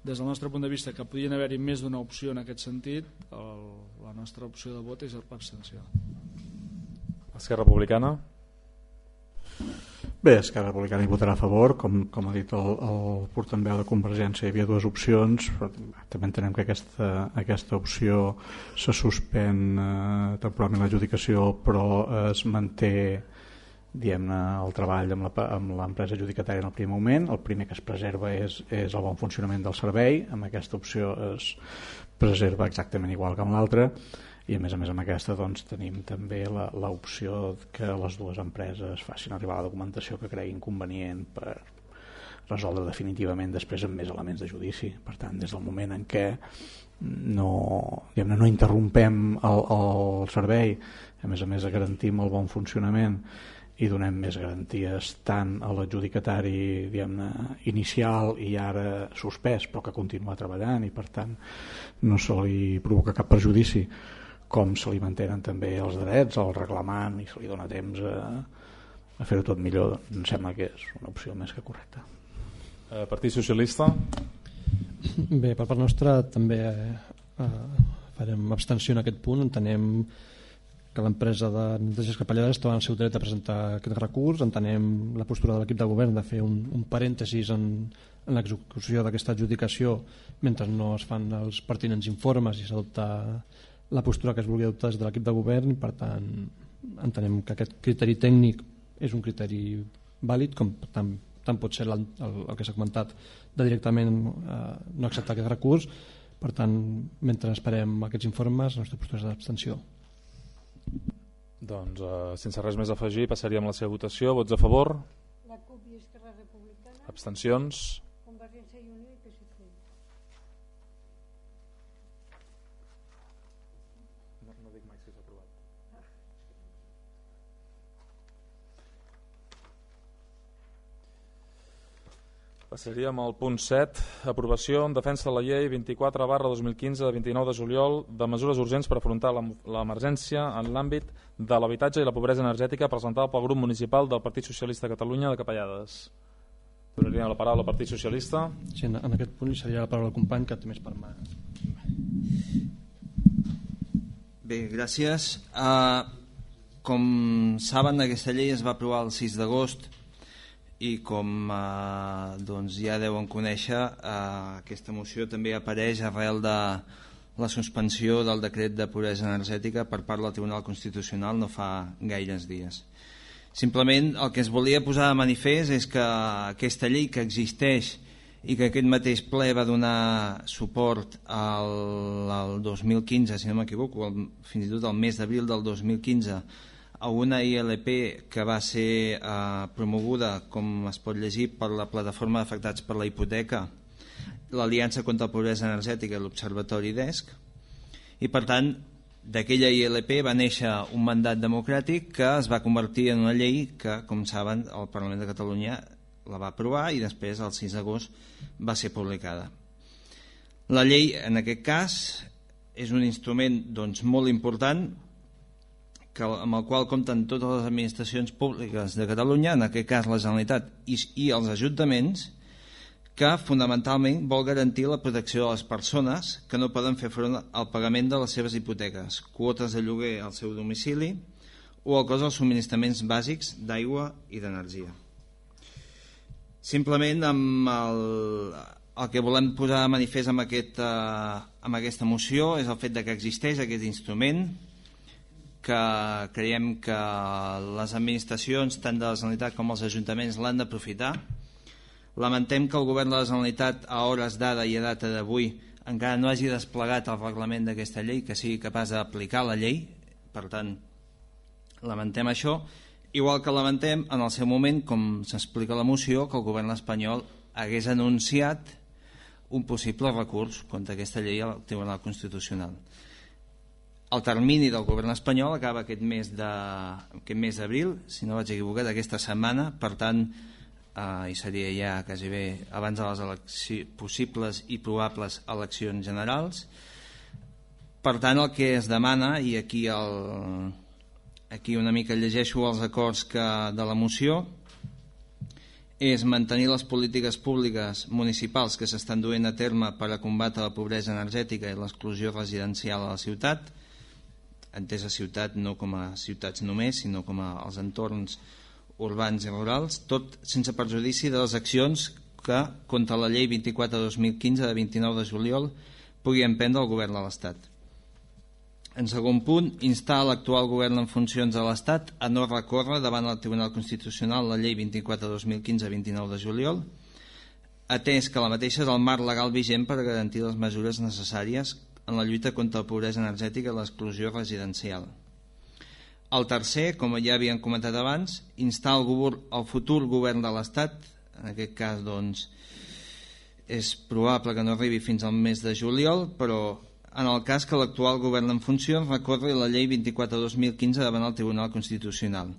des del nostre punt de vista que podien haver-hi més d'una opció en aquest sentit, el, la nostra opció de vot és l'abstenció. Esquerra Republicana. Bé, Esquerra Republicana hi votarà a favor, com, com ha dit el, el portaveu de Convergència, hi havia dues opcions, però també entenem que aquesta, aquesta opció se suspèn eh, temporalment l'adjudicació, però es manté, diguem-ne, el treball amb la, amb l'empresa adjudicatària en el primer moment. El primer que es preserva és, és el bon funcionament del servei. Amb aquesta opció es preserva exactament igual que amb l'altra, i a més a més amb aquesta doncs, tenim també l'opció que les dues empreses facin arribar la documentació que creguin convenient per resoldre definitivament després amb més elements de judici. Per tant, des del moment en què no, diguem-ne, no interrompem el, el servei, a més a més garantim el bon funcionament i donem més garanties tant a l'adjudicatari, diguem-ne, inicial i ara suspès, però que continua treballant i per tant no se li provoca cap perjudici, com se li mantenen també els drets, el reclamant, i se li dona temps a, a fer-ho tot millor. Em sembla que és una opció més que correcta. Eh, Partit Socialista. Bé, per part nostra també eh, farem abstenció en aquest punt. Entenem que l'empresa de neteges capellades estava en el seu dret a presentar aquest recurs. Entenem la postura de l'equip de govern de fer un, un parèntesis en, en l'execució d'aquesta adjudicació mentre no es fan els pertinents informes i s'adopta la postura que es vulgui adoptar des de l'equip de govern. Per tant, entenem que aquest criteri tècnic és un criteri vàlid, com tant, tant pot ser el, el, el que s'ha comentat de directament eh, no acceptar aquest recurs. Per tant, mentre esperem aquests informes, la nostra postura és d'abstenció. Doncs, eh, sense res més a afegir, passaríem a la seva votació. Vots a favor? La CUP i Esquerra Republicana, Abstencions? Convergència i Unió i P S C. No, no dic mai si s'ha aprovat. Passaríem al punt set, aprovació en defensa de la llei vint-i-quatre barra dos mil quinze de vint-i-nou de juliol de mesures urgents per afrontar la- l'emergència en l'àmbit de l'habitatge i la pobresa energètica presentada pel grup municipal del Partit Socialista de Catalunya de Capellades. Donaria la paraula al Partit Socialista. Sí, en, en aquest punt li seria la paraula al company que té més per mà. Bé, gràcies. Uh, com saben, aquesta llei es va aprovar el sis d'agost i com uh, doncs ja deuen conèixer, uh, aquesta moció també apareix arrel de la suspensió del decret de pobresa energètica per part del Tribunal Constitucional no fa gaires dies. Simplement el que es volia posar de manifest és que aquesta llei que existeix i que aquest mateix ple va donar suport al, al dos mil quinze, si no m'equivoco, fins i tot al mes d'abril del dos mil quinze, a una I L P que va ser eh, promoguda, com es pot llegir, per la plataforma d'afectats per la hipoteca, l'Aliança contra la Pobresa Energètica i l'Observatori D E S C, i per tant d'aquella I L P va néixer un mandat democràtic que es va convertir en una llei que, com saben, el Parlament de Catalunya la va aprovar i després, el sis d'agost, va ser publicada. La llei, en aquest cas, és un instrument doncs, molt important que, amb el qual compten totes les administracions públiques de Catalunya, en aquest cas la Generalitat i, i els ajuntaments, que fonamentalment vol garantir la protecció de les persones que no poden fer front al pagament de les seves hipoteques, quotes de lloguer al seu domicili o el cost dels subministraments bàsics d'aigua i d'energia. Simplement amb el, el que volem posar a manifest amb, aquest, eh, amb aquesta moció és el fet de que existeix aquest instrument, que creiem que les administracions tant de la Generalitat com els ajuntaments l'han d'aprofitar. Lamentem que el govern de la Generalitat a hores d'ara i a data d'avui encara no hagi desplegat el reglament d'aquesta llei, que sigui capaç d'aplicar la llei. Per tant, lamentem això, igual que lamentem en el seu moment, com s'explica a la moció, que el govern espanyol hagués anunciat un possible recurs contra aquesta llei al Tribunal Constitucional. El termini del govern espanyol acaba aquest mes de, aquest mes d'abril, si no vaig equivocat, aquesta setmana, per tant, Uh, i seria ja quasi bé abans de les eleccions, possibles i probables eleccions generals. Per tant, el que es demana, i aquí, el, aquí una mica llegeixo els acords que, de la moció, és mantenir les polítiques públiques municipals que s'estan duent a terme per a combatre la pobresa energètica i l'exclusió residencial a la ciutat, entès a ciutat no com a ciutats només, sinó com a els entorns urbans i rurals, tot sense perjudici de les accions que, contra la llei vint-i-quatre dos mil quinze de vint-i-nou de juliol, pugui emprendre el govern de l'Estat. En segon punt, instar l'actual govern en funcions de l'Estat a no recórrer davant el Tribunal Constitucional la llei vint-i-quatre dos mil quinze de vint-i-nou de juliol, atès que la mateixa és el marc legal vigent per garantir les mesures necessàries en la lluita contra la pobresa energètica i l'exclusió residencial. El tercer, com ja havíem comentat abans, instar el, govern, el futur govern de l'Estat, en aquest cas doncs, és probable que no arribi fins al mes de juliol, però en el cas que l'actual govern en funcions recorri la llei vint-i-quatre dos mil quinze davant el Tribunal Constitucional,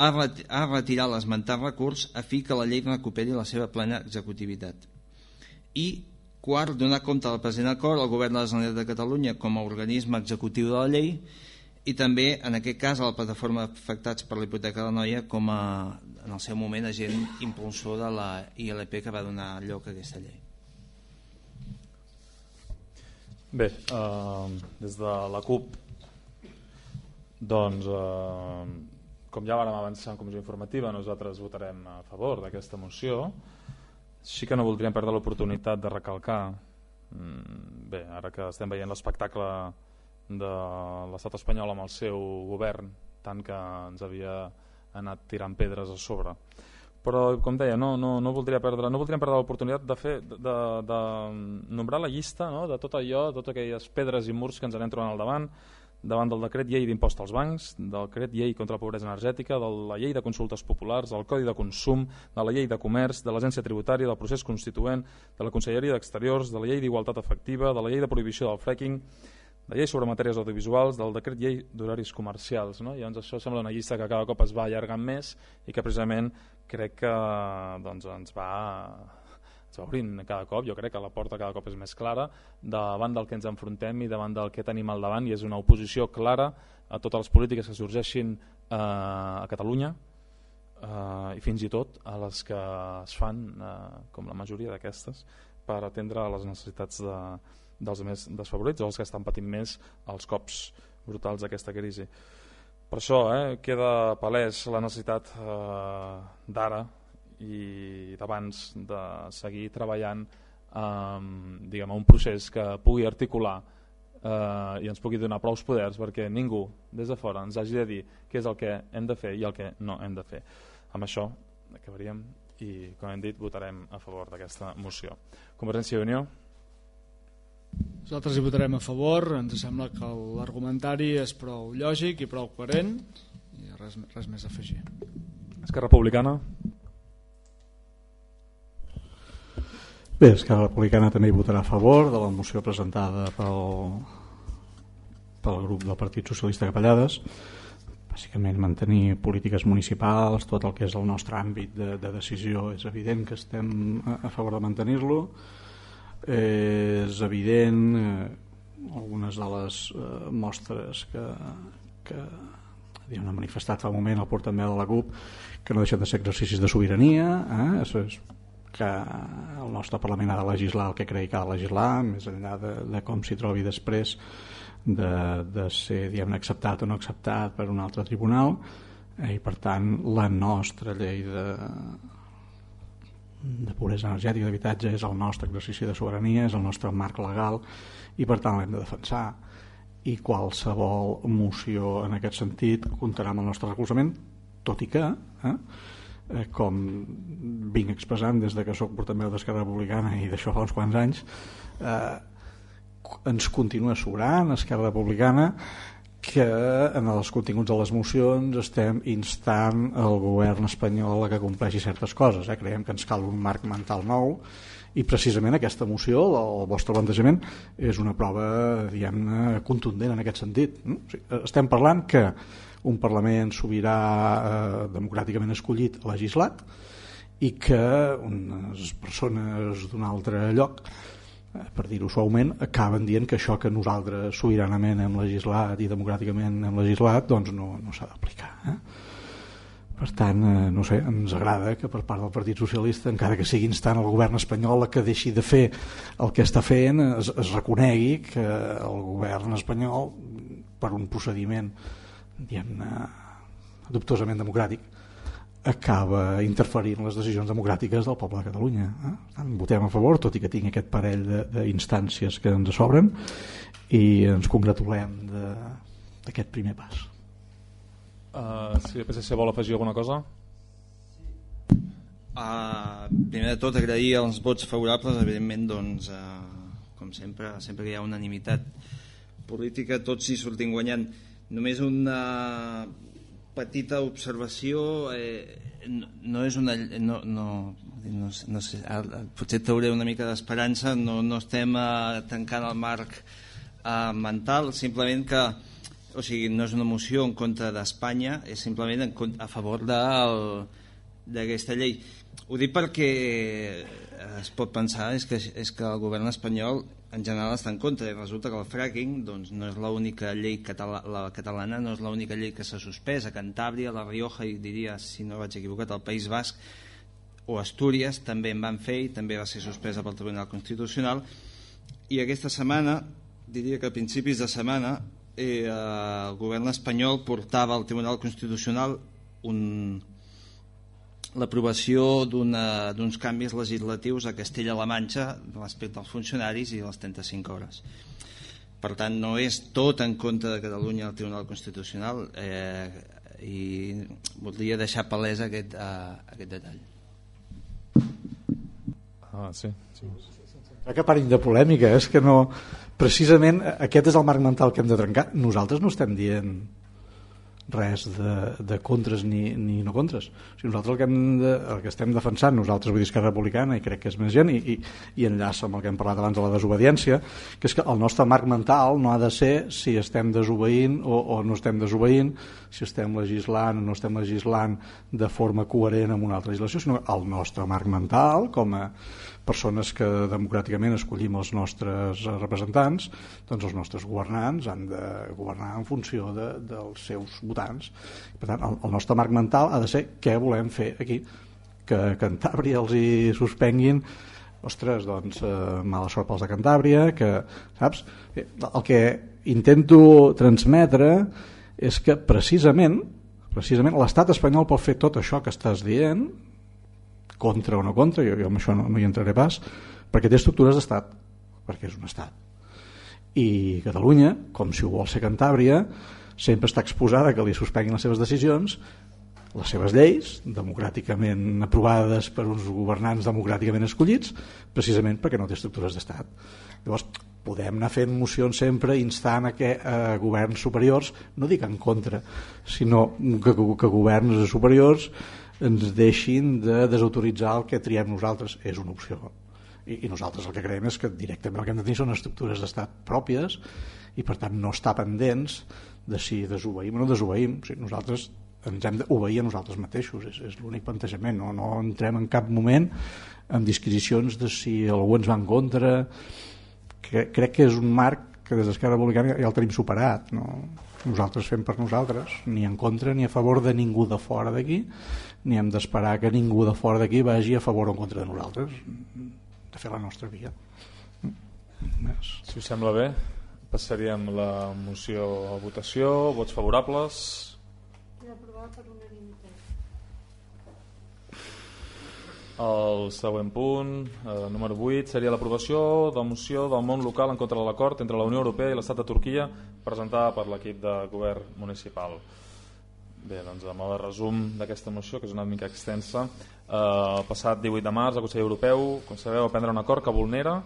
ha, ret ha retirat l'esmentat recurs a fi que la llei recuperi la seva plena executivitat. I quart, donar compte del present acord al govern de la Generalitat de Catalunya com a organisme executiu de la llei i també, en aquest cas, a la plataforma afectats per la hipoteca de la Noia com a, en el seu moment, agent impulsor de la I L P que va donar lloc a aquesta llei. Bé, eh, des de la CUP, doncs, eh, com ja vàrem avançar en comissió informativa, nosaltres votarem a favor d'aquesta moció. Sí que no voldríem perdre l'oportunitat de recalcar, bé, ara que estem veient l'espectacle de l'estat espanyol amb el seu govern, tant que ens havia anat tirant pedres a sobre, però com deia, no, no, no, voldria perdre, no voldríem perdre l'oportunitat de, fer, de, de, de nombrar la llista, no? De tot allò, totes aquelles pedres i murs que ens anem trobant al davant, davant del decret llei d'impost als bancs, del decret llei contra la pobresa energètica, de la llei de consultes populars, del codi de consum, de la llei de comerç, de l'agència tributària, del procés constituent, de la conselleria d'exteriors, de la llei d'igualtat efectiva, de la llei de prohibició del fracking, la llei sobre matèries audiovisuals, del decret llei d'horaris comercials, no? I llavors això sembla una llista que cada cop es va allargant més i que precisament crec que doncs, ens va ens va obrint cada cop. Jo crec que la porta cada cop és més clara davant del que ens enfrontem i davant del que tenim al davant, i és una oposició clara a totes les polítiques que sorgeixin eh, a Catalunya eh, i fins i tot a les que es fan, eh, com la majoria d'aquestes, per atendre les necessitats de dels més desfavorits o els que estan patint més els cops brutals d'aquesta crisi. Per això eh, queda palès la necessitat eh, d'ara i d'abans de seguir treballant eh, diguem, un procés que pugui articular eh, i ens pugui donar prou poders perquè ningú des de fora ens hagi de dir què és el que hem de fer i el que no hem de fer. Amb això acabaríem i, com hem dit, votarem a favor d'aquesta moció. Convergència i Unió. Nosaltres hi votarem a favor, ens sembla que l'argumentari és prou lògic i prou coherent i res, res més a afegir. Esquerra Republicana. Bé, Esquerra Republicana també hi votarà a favor de la moció presentada pel, pel grup del Partit Socialista Capellades. Bàsicament mantenir polítiques municipals, tot el que és el nostre àmbit de, de decisió, és evident que estem a, a favor de mantenir-lo. Eh, és evident eh, algunes de les eh, mostres que, que ha manifestat fa un moment el portaveu de la C U P que no deixen de ser exercicis de sobirania, eh? és que el nostre Parlament ha de legislar el que cregui que ha de legislar, més enllà de, de com s'hi trobi després de, de ser, diguem-ne, acceptat o no acceptat per un altre tribunal, eh? I per tant la nostra llei de de pobresa energètica d'habitatge és el nostre exercici de sobirania, és el nostre marc legal i per tant l'hem de defensar, i qualsevol moció en aquest sentit comptarà amb el nostre recolzament, tot i que eh, com vinc expressant des de que soc portaveu d'Esquerra Republicana i d'això fa uns quants anys, eh, ens continua sobrant Esquerra Republicana que en els continguts de les mocions estem instant el govern espanyol a que compleixi certes coses, eh? Creiem que ens cal un marc mental nou i precisament aquesta moció, el vostre plantejament, és una prova, diguem-ne, contundent en aquest sentit. O sigui, estem parlant que un Parlament sobirà eh, democràticament escollit ha legislat i que unes persones d'un altre lloc, per dir-ho suaument, acaben dient que això que nosaltres sobiranament hem legislat i democràticament hem legislat doncs no, no s'ha d'aplicar. Eh? Per tant, eh, no sé, ens agrada que per part del Partit Socialista, encara que sigui instant el govern espanyol que deixi de fer el que està fent, es, es reconegui que el govern espanyol, per un procediment, diguem-ne, dubtosament democràtic, acaba interferint en les decisions democràtiques del poble de Catalunya. Eh? Tant, votem a favor, tot i que tinc aquest parell d'instàncies que ens sobren, i ens congratulem d'aquest primer pas. Uh, si el P S C vol afegir alguna cosa? Uh, primer de tot, agrair els vots favorables. Evidentment, doncs, uh, com sempre, sempre que hi ha unanimitat política, tots hi sortim guanyant. Només una petita observació, eh, no, no és una... No, no, no, no sé, potser trauré una mica d'esperança, no, no estem eh, tancant el marc eh, mental, simplement que, o sigui, no és una moció en contra d'Espanya, és simplement en, a favor d'aquesta llei. Ho dic perquè es pot pensar és que, és que el govern espanyol en general està en contra, i resulta que el fracking doncs, no és l'única llei catala la catalana, no és l'única llei que s'ha suspès. A Cantàbria, La Rioja i diria, si no vaig equivocat, al País Basc o Astúries també en van fer i també va ser suspesa pel Tribunal Constitucional. I aquesta setmana, diria que a principis de setmana, eh, el govern espanyol portava al Tribunal Constitucional un l'aprovació d'uns canvis legislatius a Castella-La Manxa respecte als funcionaris i les trenta-cinc hores. Per tant, no és tot en contra de Catalunya al Tribunal Constitucional, eh, i voldria deixar palès aquest, uh, aquest detall. Ah, sí, sí. Que parin de polèmica, és que no... Precisament aquest és el marc mental que hem de trencar. Nosaltres no estem dient res de, de contres ni, ni no contres. O sigui, nosaltres el que, hem de, el que estem defensant, nosaltres vull dir Esquerra Republicana, i crec que és més gent, i, i, i enllaça amb el que hem parlat abans de la desobediència, que és que el nostre marc mental no ha de ser si estem desobeint o, o no estem desobeint, si estem legislant o no estem legislant de forma coherent amb una altra legislació, sinó el nostre marc mental, com a persones que democràticament escollim els nostres representants, doncs els nostres governants han de governar en funció de, dels seus votants. Per tant, el, el nostre marc mental ha de ser què volem fer aquí. Que Cantàbria els hi suspenguin, ostres, doncs eh, mala sort pels de Cantàbria, que, saps? El que intento transmetre és que precisament, precisament l'estat espanyol pot fer tot això que estàs dient, contra o no contra, jo, jo amb això no, no hi entraré pas, perquè té estructures d'estat, perquè és un estat. I Catalunya, com si ho vol ser Cantàbria, sempre està exposada que li suspenguin les seves decisions, les seves lleis, democràticament aprovades per uns governants democràticament escollits, precisament perquè no té estructures d'estat. Llavors, podem anar fent mocions sempre instant a que eh, governs superiors, no dic en contra, sinó que, que governs superiors ens deixin de desautoritzar el que triem nosaltres. És una opció. I, i nosaltres el que creiem és que directament el que hem de tenir són estructures d'estat pròpies i per tant no estar pendents de si desobeïm o no desobeïm. O sigui, nosaltres ens hem d'obeir a nosaltres mateixos, és, és l'únic plantejament. No, no entrem en cap moment en disquisicions de si algú ens va en contra. Que, crec que és un marc que des d'Esquerra Republicana ja el tenim superat, no? Nosaltres fem per nosaltres, ni en contra ni a favor de ningú de fora d'aquí, ni hem d'esperar que ningú de fora d'aquí vagi a favor o en contra de nosaltres, de fer la nostra via. Si us sembla bé, passaríem la moció a votació. Vots favorables? Queda aprovada per unanimitat. El següent punt, eh, número vuit, seria l'aprovació de la moció del món local en contra de l'acord entre la Unió Europea i l'Estat de Turquia, presentada per l'equip de govern municipal. Bé, doncs a mode de resum d'aquesta moció, que és una mica extensa, eh, el passat divuit de març el Consell Europeu, com sabeu, va prendre un acord que vulnera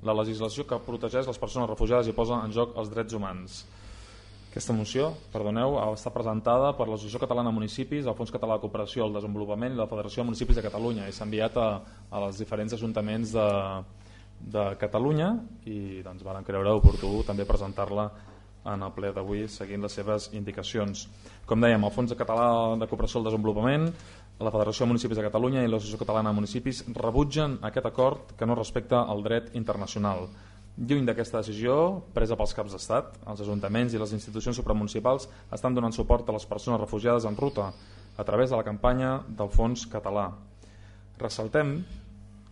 la legislació que protegeix les persones refugiades i posa en joc els drets humans. Aquesta moció, perdoneu, està presentada per l'Associació Catalana de Municipis, el Fons Català de Cooperació al Desenvolupament i la Federació de Municipis de Catalunya, i s'ha enviat a, a els diferents ajuntaments de, de Catalunya i doncs varen creure oportú també presentar-la en el ple d'avui seguint les seves indicacions. Com dèiem, el Fons Català de Cooperació al Desenvolupament, la Federació de Municipis de Catalunya i l'Associació Catalana de Municipis rebutgen aquest acord que no respecta el dret internacional. Lluny d'aquesta decisió presa pels caps d'estat, els ajuntaments i les institucions supramunicipals estan donant suport a les persones refugiades en ruta a través de la campanya del Fons Català. Ressaltem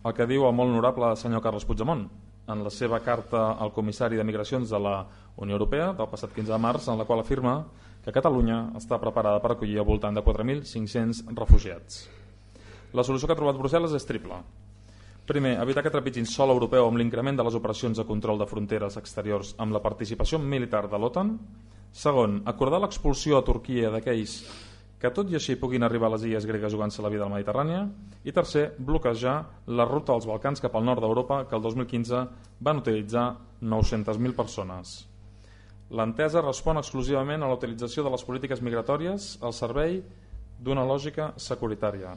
el que diu el molt honorable senyor Carles Puigdemont en la seva carta al comissari de Migracions de la Unió Europea del passat quinze de març, en la qual afirma que Catalunya està preparada per acollir al voltant de quatre mil cinc-cents refugiats. La solució que ha trobat Brussel·les és triple. Primer, evitar que trepitgin sòl europeu amb l'increment de les operacions de control de fronteres exteriors amb la participació militar de l'OTAN. Segon, acordar l'expulsió a Turquia d'aquells que tot i així puguin arribar a les illes gregues jugant-se la vida a la Mediterrània. I tercer, bloquejar la ruta dels Balcans cap al nord d'Europa que el dos mil quinze van utilitzar nou-centes mil persones. L'entesa respon exclusivament a la utilització de les polítiques migratòries al servei d'una lògica securitària.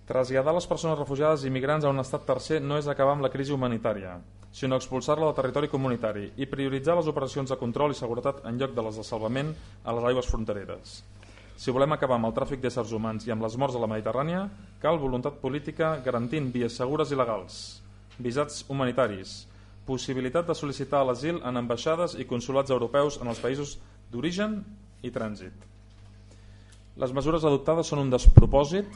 Traslladar les persones refugiades i migrants a un estat tercer no és acabar amb la crisi humanitària, sinó expulsar-la del territori comunitari i prioritzar les operacions de control i seguretat en lloc de les de salvament a les aigües frontereres. Si volem acabar amb el tràfic d'éssers humans i amb les morts a la Mediterrània, cal voluntat política garantint vies segures i legals, visats humanitaris, possibilitat de sol·licitar l'asil en ambaixades i consolats europeus en els països d'origen i trànsit. Les mesures adoptades són un despropòsit,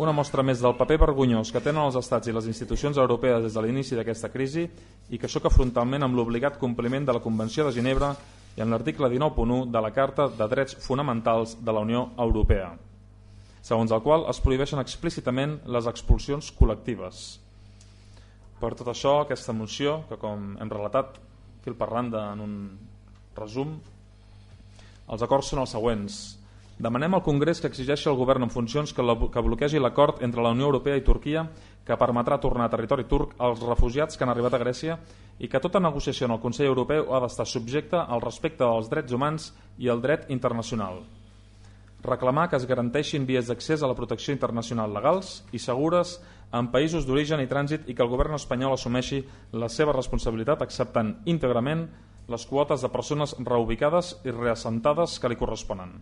una mostra més del paper vergonyós que tenen els estats i les institucions europees des de l'inici d'aquesta crisi i que xoca frontalment amb l'obligat compliment de la Convenció de Ginebra i en l'article dinou punt u de la Carta de Drets Fonamentals de la Unió Europea, segons el qual es prohibeixen explícitament les expulsions col·lectives. Per tot això, aquesta moció, que com hem relatat fil per randa en un resum, els acords són els següents. Demanem al Congrés que exigeixi al govern en funcions que, la, que bloquegi l'acord entre la Unió Europea i Turquia que permetrà tornar a territori turc als refugiats que han arribat a Grècia i que tota negociació en el Consell Europeu ha d'estar subjecta al respecte dels drets humans i al dret internacional. Reclamar que es garanteixin vies d'accés a la protecció internacional legals i segures en països d'origen i trànsit i que el govern espanyol assumeixi la seva responsabilitat acceptant íntegrament les quotes de persones reubicades i reassentades que li corresponen.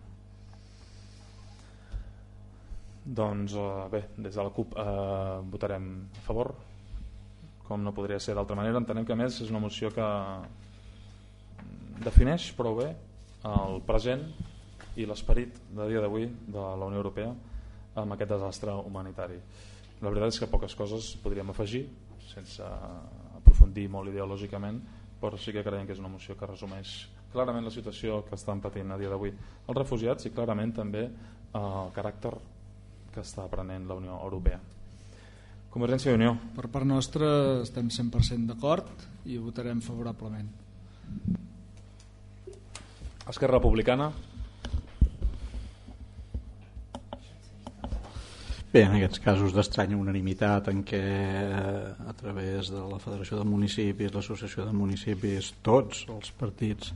Doncs bé, des de la CUP eh, votarem a favor, com no podria ser d'altra manera. Entenem que a més és una moció que defineix prou bé el present i l'esperit de dia d'avui de la Unió Europea amb aquest desastre humanitari. La veritat és que poques coses podríem afegir sense aprofundir molt ideològicament, però sí que creiem que és una moció que resumeix clarament la situació que estan patint a dia d'avui els refugiats i clarament també el caràcter que està prenent la Unió Europea. Convergència i Unió. Per part nostra estem cent per cent d'acord i votarem favorablement. Esquerra Republicana. Bé, en aquests casos d'estranya unanimitat en què a través de la Federació de Municipis, l'Associació de Municipis, tots els partits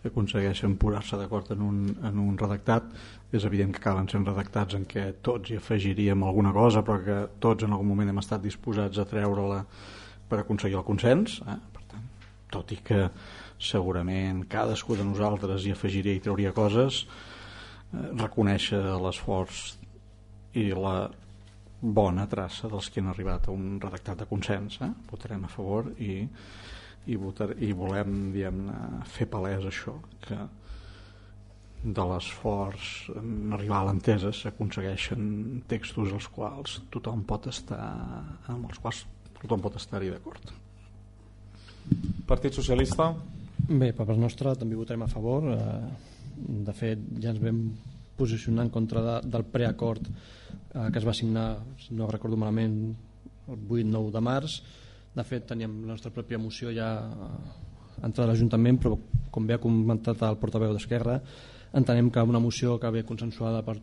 aconsegueixen posar-se d'acord en, un, en un redactat, és evident que acaben sent redactats en què tots hi afegiríem alguna cosa, però que tots en algun moment hem estat disposats a treure-la per aconseguir el consens. Eh? Per tant, tot i que segurament cadascú de nosaltres hi afegiria i trauria coses, eh, reconèixer l'esforç i la bona traça dels que han arribat a un redactat de consens. Eh? Votarem a favor i i, votar, i volem diguem-ne fer palès això, que de l'esforç en arribar a l'entesa s'aconsegueixen textos als quals tothom pot estar amb els quals tothom pot estar-hi d'acord. Partit Socialista? Bé, per part nostra també votarem a favor. De fet, ja ens vam posicionar en contra de, del preacord que es va signar, si no recordo malament, el vuit nou de març. De fet, teníem la nostra pròpia moció ja entrada a l'Ajuntament, però com bé ha comentat el portaveu d'Esquerra, entenem que una moció que ve consensuada per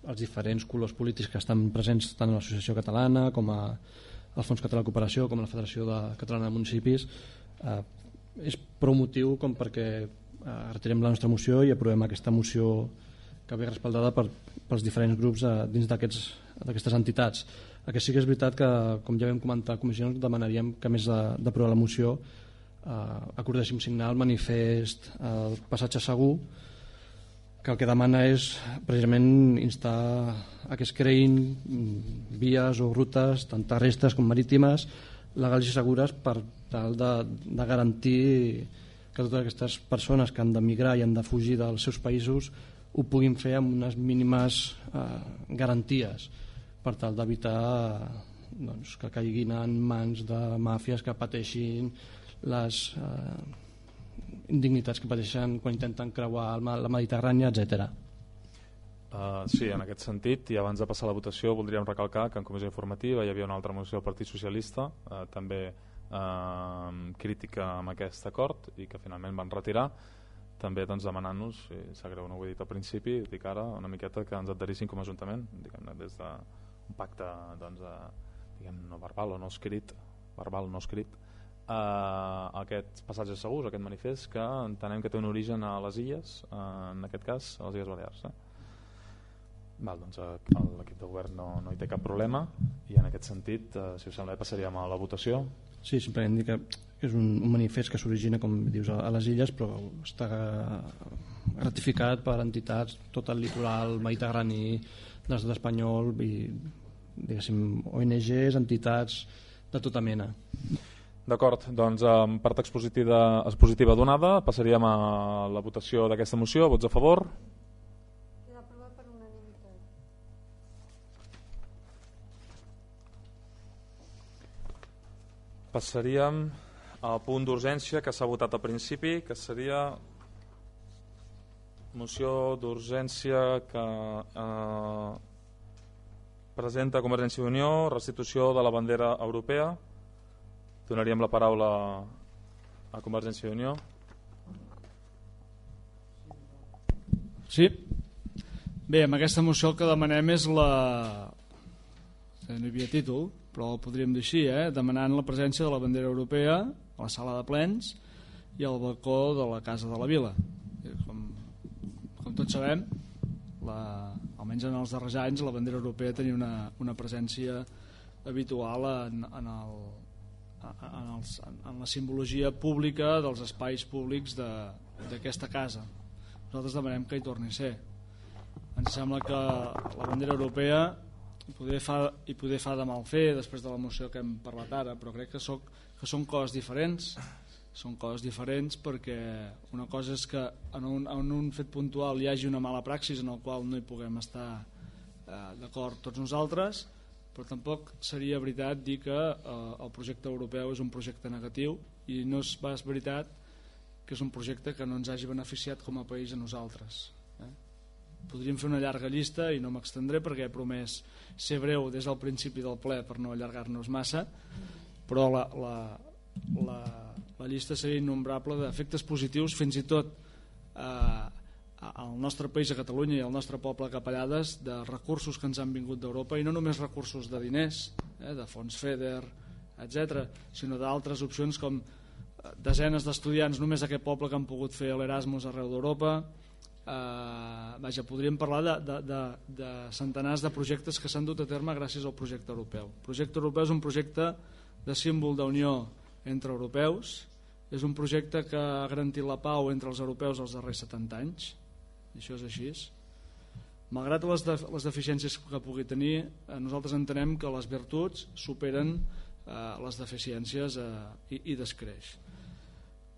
els diferents colors polítics que estan presents tant a l'Associació Catalana com a el Fons Català de Cooperació com a la Federació de Catalana de Municipis eh, és prou motiu com perquè eh, retirem la nostra moció i aprovem aquesta moció que ve respaldada per, pels diferents grups eh, dins d'aquestes entitats. El que sí que és veritat que, com ja vam comentar a comissió, demanaríem que a més d'aprovar la moció eh, acordéssim signar el manifest el passatge segur, que el que demana és precisament instar a que es creïn vies o rutes tant terrestres com marítimes legals i segures per tal de, de garantir que totes aquestes persones que han d'emigrar i han de fugir dels seus països ho puguin fer amb unes mínimes eh, garanties per tal d'evitar doncs, que caiguin en mans de màfies que pateixin les eh, indignitats que pateixen quan intenten creuar la Mediterrània, etcètera. Uh, sí, en aquest sentit, i abans de passar a la votació voldríem recalcar que en comissió informativa hi havia una altra moció del Partit Socialista uh, també uh, crítica amb aquest acord i que finalment van retirar, també doncs, demanant-nos, si sap greu no ho he dit al principi, dic ara una miqueta que ens adherissin com a Ajuntament, diguem-ne, des d'un pacte doncs, uh, diguem, no verbal o no escrit, verbal no escrit, Uh, aquests passatges segurs, aquest manifest que entenem que té un origen a les illes, uh, en aquest cas a les Illes Balears. Eh? Val, doncs uh, l'equip de govern no, no hi té cap problema i en aquest sentit, uh, si us sembla, passaríem a la votació. Sí, simplement dir que és un, un manifest que s'origina, com dius, a, a les illes, però està ratificat per entitats tot el litoral mediterrani de l'estat espanyol i, diguéssim, O N Ges, entitats de tota mena. D'acord, doncs amb part expositiva, expositiva donada passaríem a la votació d'aquesta moció. Vots a favor? Queda aprovat per unanimitat. Passaríem al punt d'urgència que s'ha votat al principi, que seria moció d'urgència que eh, presenta Convergència i Unió, restitució de la bandera europea. Donaríem la paraula a Convergència i Unió. Sí. Bé, amb aquesta moció el que demanem és la... No hi havia títol, però el podríem dir així, eh? Demanant la presència de la bandera europea a la sala de plens i al balcó de la Casa de la Vila. Com, com tots sabem, la, almenys en els darrers anys, la bandera europea tenia una, una presència habitual en, en el... En, els, en la simbologia pública dels espais públics d'aquesta casa. Nosaltres demanem que hi torni a ser. Ens sembla que la bandera europea hi poder fa, hi poder fa de mal fer després de la moció que hem parlat ara, però crec que, soc, que són coses diferents. Són coses diferents perquè una cosa és que en un, en un fet puntual hi hagi una mala praxis en el qual no hi puguem estar eh, d'acord tots nosaltres, però tampoc seria veritat dir que eh, el projecte europeu és un projecte negatiu i no és pas veritat que és un projecte que no ens hagi beneficiat com a país a nosaltres. Eh? Podríem fer una llarga llista i no m'extendré perquè he promès ser breu des del principi del ple per no allargar-nos massa, però la, la, la, la llista seria innombrable d'efectes positius, fins i tot eh, al nostre país, a Catalunya, i al nostre poble capellades, de recursos que ens han vingut d'Europa, i no només recursos de diners, eh, de fons FEDER, etcètera, sinó d'altres opcions com desenes d'estudiants només a aquest poble que han pogut fer l'Erasmus arreu d'Europa. Eh, vaja, podríem parlar de, de, de, de centenars de projectes que s'han dut a terme gràcies al projecte europeu. El projecte europeu és un projecte de símbol d'unió entre europeus, és un projecte que ha garantit la pau entre els europeus els darrers setanta anys, i això és així. Malgrat les, de, les deficiències que pugui tenir, eh, nosaltres entenem que les virtuts superen eh, les deficiències eh, i, i descreix.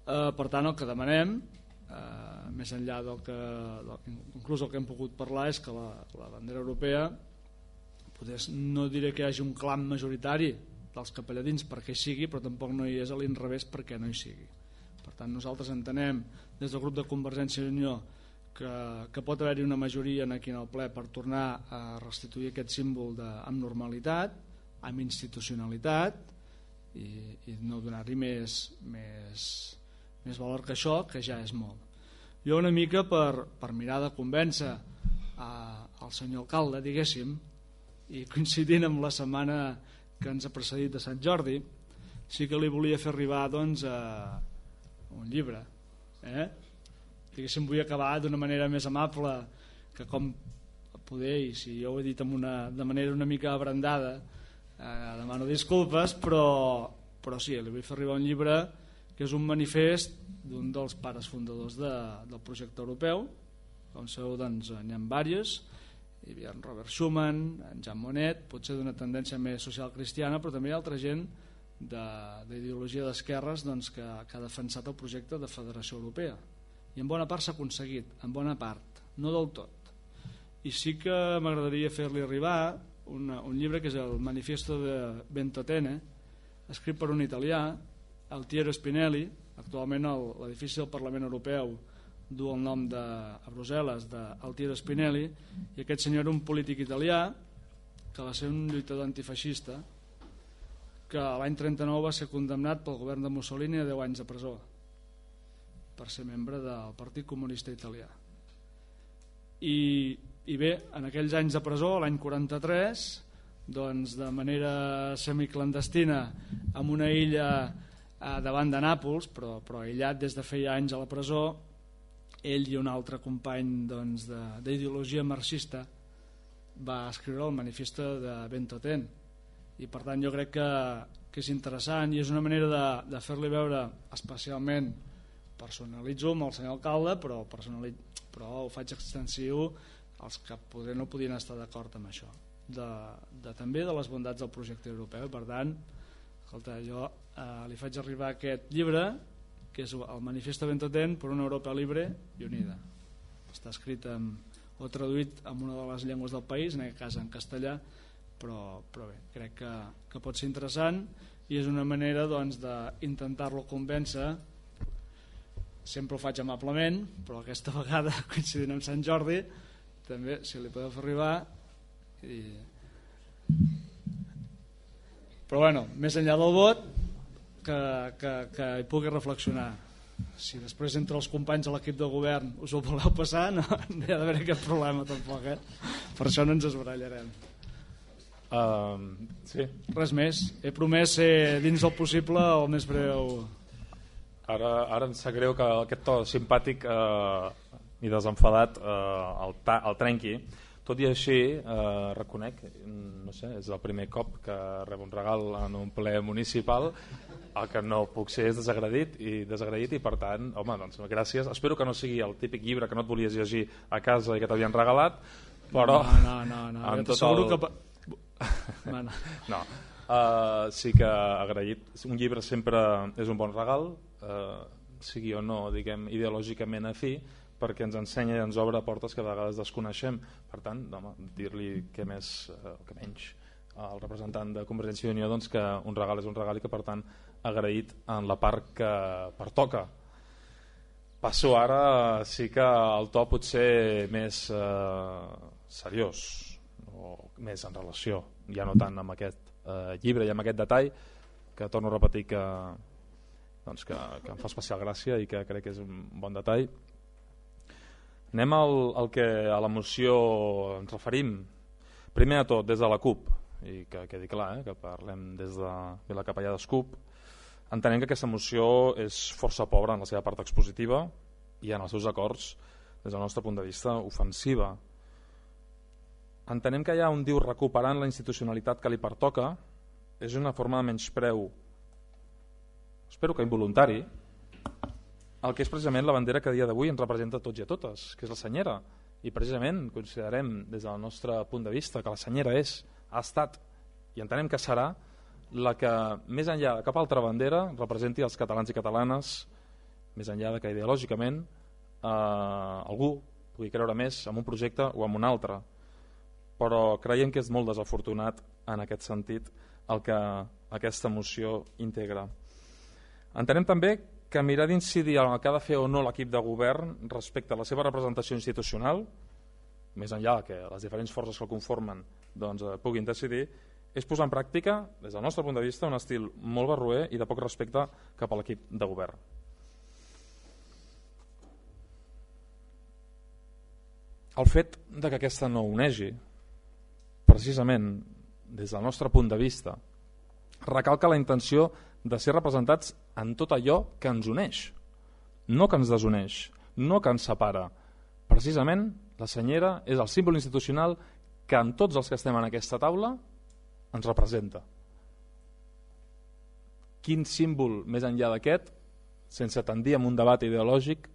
Eh, per tant, el que demanem, eh, més enllà del que, del, inclús el que hem pogut parlar, és que la, la bandera europea, potser no diré que hi hagi un clam majoritari dels capelladins perquè hi sigui, però tampoc no hi és a l'inrevés perquè no hi sigui. Per tant, nosaltres entenem des del grup de Convergència i Unió que, que pot haver-hi una majoria aquí en el ple per tornar a restituir aquest símbol de, amb normalitat, amb institucionalitat i, i no donar-hi més, més, més valor que això, que ja és molt. Jo una mica per, per mirar de convèncer a, al senyor alcalde, diguéssim, i coincidint amb la setmana que ens ha precedit de Sant Jordi, sí que li volia fer arribar doncs, a un llibre. Eh? Diguéssim, vull acabar d'una manera més amable, que com poder, i si jo ho he dit amb una, de manera una mica abrandada, eh, demano disculpes, però, però sí, li vull fer arribar un llibre que és un manifest d'un dels pares fundadors de, del projecte europeu. Com sabeu, doncs, n'hi ha diversos. Hi havia en Robert Schuman, en Jean Monnet, potser d'una tendència més social cristiana, però també hi ha altra gent d'ideologia de, d'esquerres doncs, que, que ha defensat el projecte de Federació Europea. I en bona part s'ha aconseguit, en bona part, no del tot. I sí que m'agradaria fer-li arribar una, un llibre que és el Manifesto de Ventotene, escrit per un italià, Altiero Spinelli. Actualment l'edifici del Parlament Europeu du el nom de, a Brussel·les d'Altiero Spinelli, i aquest senyor era un polític italià que va ser un lluitador antifeixista que l'any trenta-nou va ser condemnat pel govern de Mussolini a deu anys de presó per ser membre del Partit Comunista Italià. I, i bé, en aquells anys de presó, l'any quaranta-tres, doncs de manera semiclandestina, en una illa eh, davant de Nàpols, però, però aïllat des de feia anys a la presó, ell i un altre company doncs, d'ideologia marxista va escriure el Manifesto de Ventotene, i per tant jo crec que, que és interessant i és una manera de, de fer-li veure, especialment personalitzo amb el senyor alcalde, però, però ho faig extensiu als que poder no podien estar d'acord amb això, de, de, també de les bondats del projecte europeu. Per tant, escolta, jo eh, li faig arribar aquest llibre, que és el Manifesto Ventotene per una Europa libre i unida. Està escrit amb, o traduït en una de les llengües del país, en aquest cas en castellà, però, però bé, crec que, que pot ser interessant i és una manera doncs, d'intentar-lo convèncer. Sempre ho faig amablement, però aquesta vegada, coincidint amb Sant Jordi, també, si li podeu fer arribar. I... Però bueno, més enllà del vot, Que, que, que hi pugui reflexionar. Si després entre els companys de l'equip de govern us ho voleu passar, no, no hi ha d'haver cap problema tampoc, eh? Per això no ens esbarallarem. Uh, sí. Res més, he promès ser dins del possible el més breu. Ara, ara em sap greu que aquest to simpàtic uh, i desenfadat uh, el, ta, el trenqui. Tot i així, eh, reconec, no sé, és el primer cop que rebo un regal en un ple municipal. El que no puc ser és desagradit i desagraït i per tant, home, doncs gràcies. Espero que no sigui el típic llibre que no et volies llegir a casa i que t'havien regalat, però... No, no, no, no. Amb tot el... que... No, no. no. Uh, sí que agraït. Un llibre sempre és un bon regal, uh, sigui o no, diguem, ideològicament afí, perquè ens ensenya i ens obre portes que a vegades desconeixem. Per tant, home, dir-li que més, eh, que menys al representant de Convergència i Unió doncs, que un regal és un regal i que per tant agraït en la part que pertoca. Passo ara, sí que el to pot ser més eh, seriós o més en relació, ja no tant amb aquest eh, llibre i amb aquest detall que torno a repetir que, doncs, que, que em fa especial gràcia i que crec que és un bon detall. Anem al, al que a la moció ens referim. Primer de tot, des de la CUP, i que quedi clar, eh, que parlem des de, de la capellada CUP, entenem que aquesta moció és força pobra en la seva part expositiva i en els seus acords, des del nostre punt de vista, ofensiva. Entenem que hi ha un diu recuperant la institucionalitat que li pertoca, és una forma de menyspreu, espero que involuntari, el que és precisament la bandera que a dia d'avui ens representa a tots i a totes, que és la senyera. I precisament considerem des del nostre punt de vista que la senyera és, ha estat i entenem que serà la que més enllà de cap altra bandera representi els catalans i catalanes més enllà de que ideològicament eh, algú pugui creure més en un projecte o en un altre, però creiem que és molt desafortunat en aquest sentit el que aquesta moció integra. Entenem també que mirar d'incidir en el que ha de fer o no l'equip de govern respecte a la seva representació institucional, més enllà que les diferents forces que el conformen doncs, eh, puguin decidir, és posar en pràctica, des del nostre punt de vista, un estil molt barroer i de poc respecte cap a l'equip de govern. El fet de que aquesta no onegi, precisament des del nostre punt de vista, recalca la intenció de ser representats en tot allò que ens uneix, no que ens desuneix, no que ens separa. Precisament la senyera és el símbol institucional que en tots els que estem en aquesta taula ens representa. Quin símbol més enllà d'aquest, sense tendir a un debat ideològic,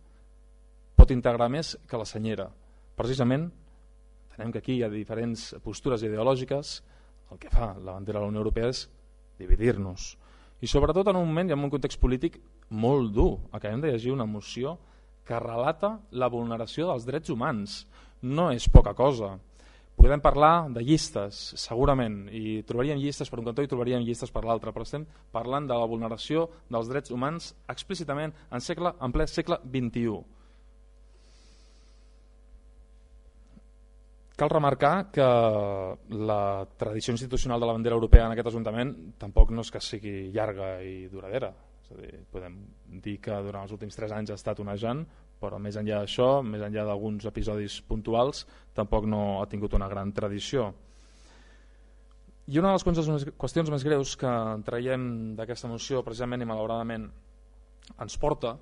pot integrar més que la senyera? Precisament, entenem que aquí hi ha diferents postures ideològiques, el que fa la bandera de la Unió Europea és dividir-nos. I sobretot en un moment i en un context polític molt dur. Acabem de llegir una moció que relata la vulneració dels drets humans. No és poca cosa. Podem parlar de llistes, segurament, i trobaríem llistes per un cantó i trobaríem llistes per l'altre, però estem parlant de la vulneració dels drets humans explícitament en, segle, en ple segle vint-i-u. Cal remarcar que la tradició institucional de la bandera europea en aquest Ajuntament tampoc no és que sigui llarga i duradera. És a dir, podem dir que durant els últims tres anys ha estat onejant, però més enllà d'això, més enllà d'alguns episodis puntuals, tampoc no ha tingut una gran tradició. I una de les qüestions més greus que traiem d'aquesta moció, precisament i malauradament, ens porta,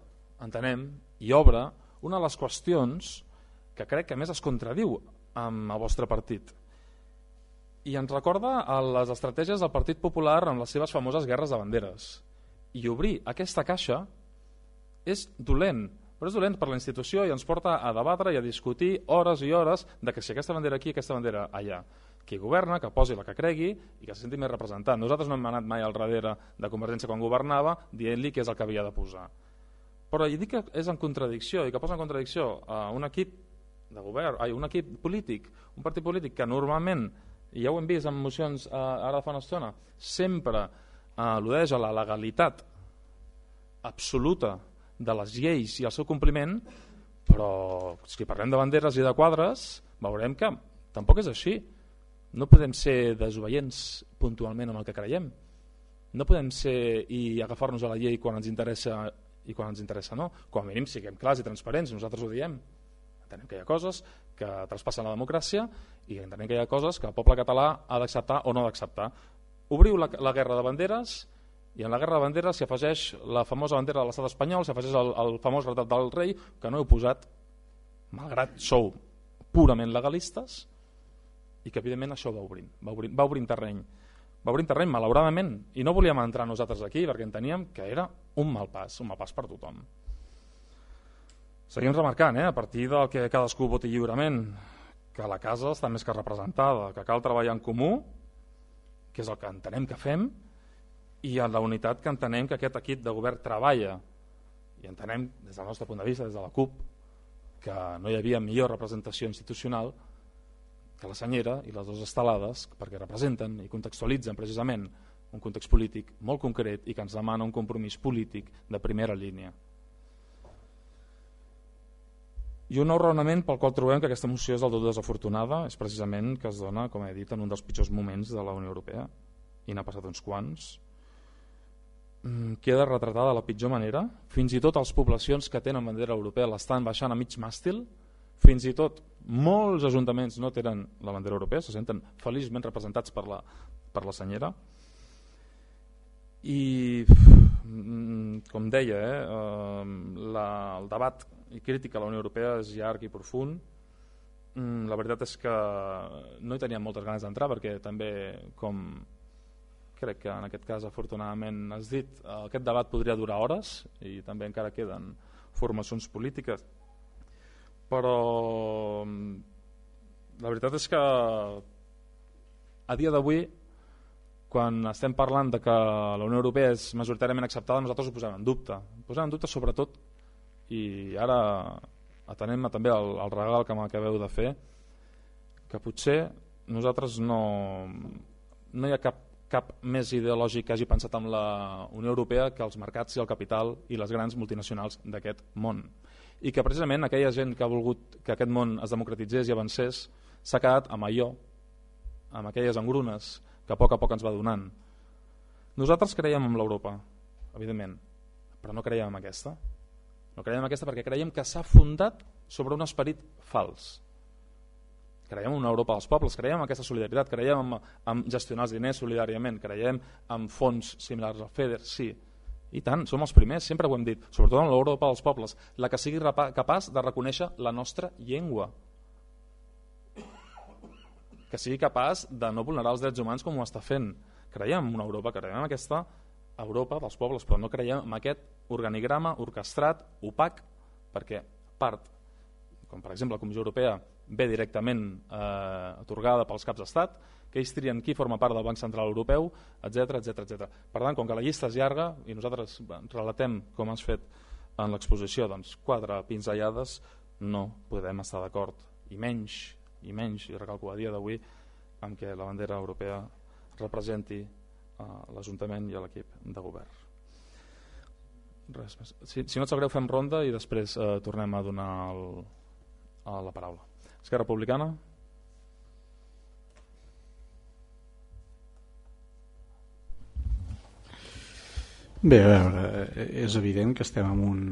entenem, i obre una de les qüestions que crec que més es contradiu amb el vostre partit. I ens recorda a les estratègies del Partit Popular amb les seves famoses guerres de banderes. I obrir aquesta caixa és dolent, però és dolent per la institució i ens porta a debatre i a discutir hores i hores de que si aquesta bandera aquí, aquesta bandera allà. Qui governa, que posi la que cregui i que se senti més representat. Nosaltres no hem anat mai al darrere de Convergència quan governava dient-li què és el que havia de posar. Però i dic que és en contradicció i que posa en contradicció a un equip de govern, ai, un equip polític, un partit polític que normalment, i ja ho hem vist en mocions eh, ara fa una estona, sempre eh, al·ludeix a la legalitat absoluta de les lleis i el seu compliment, però si parlem de banderes i de quadres veurem que tampoc és així. No podem ser desobeients puntualment amb el que creiem, no podem ser i agafar-nos a la llei quan ens interessa i quan ens interessa no, com a mínim siguem clars i transparents, nosaltres ho diem. Entenem que hi ha coses que traspassen la democràcia i entenem que hi ha coses que el poble català ha d'acceptar o no d'acceptar. Obriu la, la guerra de banderes i en la guerra de banderes s'hi afegeix la famosa bandera de l'estat espanyol, s'hi afegeix el, el famós retrat del rei, que no heu posat, malgrat sou purament legalistes, i que evidentment això va obrint, va obrint, va obrint terreny. Va obrint terreny, malauradament, i no volíem entrar nosaltres aquí perquè enteníem que era un mal pas, un mal pas per tothom. Seguim remarcant, eh, a partir del que cadascú voti lliurement, que la casa està més que representada, que cal treballar en comú, que és el que entenem que fem, i en la unitat que entenem que aquest equip de govern treballa. I entenem, des del nostre punt de vista, des de la CUP, que no hi havia millor representació institucional que la senyera i les dues estelades, perquè representen i contextualitzen precisament un context polític molt concret i que ens demana un compromís polític de primera línia. I un nou raonament pel qual trobem que aquesta moció és del tot desafortunada és precisament que es dona, com he dit, en un dels pitjors moments de la Unió Europea, i n'ha passat uns quants. Queda retratada de la pitjor manera. Fins i tot les poblacions que tenen bandera europea l'estan baixant a mig màstil. Fins i tot molts ajuntaments no tenen la bandera europea, se senten feliçment representats per la, per la senyera. I, com deia, eh, la, el debat i crítica a la Unió Europea és llarg i profund. La veritat és que no hi teníem moltes ganes d'entrar perquè també, com crec que en aquest cas afortunadament has dit, aquest debat podria durar hores i també encara queden formacions polítiques, però la veritat és que a dia d'avui, quan estem parlant de que la Unió Europea és majoritàriament acceptada, nosaltres ho posem en dubte. Posem en dubte sobretot i ara atenem també el, el regal que m'acabeu de fer, que potser nosaltres no, no hi ha cap, cap més ideològic que hagi pensat en la Unió Europea que els mercats i el capital i les grans multinacionals d'aquest món, i que precisament aquella gent que ha volgut que aquest món es democratitzés i avancés s'ha quedat amb allò, amb aquelles engrunes que a poc a poc ens va donant. Nosaltres creiem en l'Europa, evidentment, però no creiem en aquesta. No creiem en aquesta perquè creiem que s'ha fundat sobre un esperit fals. Creiem en una Europa dels pobles, creiem en aquesta solidaritat, creiem en, en gestionar els diners solidàriament, creiem en fons similars al FEDER, sí. I tant, som els primers, sempre ho hem dit, sobretot en l'Europa dels pobles, la que sigui capaç de reconèixer la nostra llengua, que sigui capaç de no vulnerar els drets humans com ho està fent. Creiem en una Europa, creiem en aquesta Europa dels pobles, però no creiem en aquest organigrama orquestrat, opac, perquè part, com per exemple la Comissió Europea, ve directament eh, atorgada pels caps d'estat, que ells trien qui forma part del Banc Central Europeu, etcètera, etcètera, etcètera. Per tant, com que la llista és llarga i nosaltres relatem com has fet en l'exposició, doncs quatre pinzellades, no podem estar d'acord, i menys, i menys, i recalco a dia d'avui, amb què la bandera europea representi eh, l'Ajuntament i l'equip de govern. Res més. Si, si no et sap greu, fem ronda i després eh, tornem a donar el, a la paraula. Esquerra Republicana. Bé, a veure, és evident que estem en un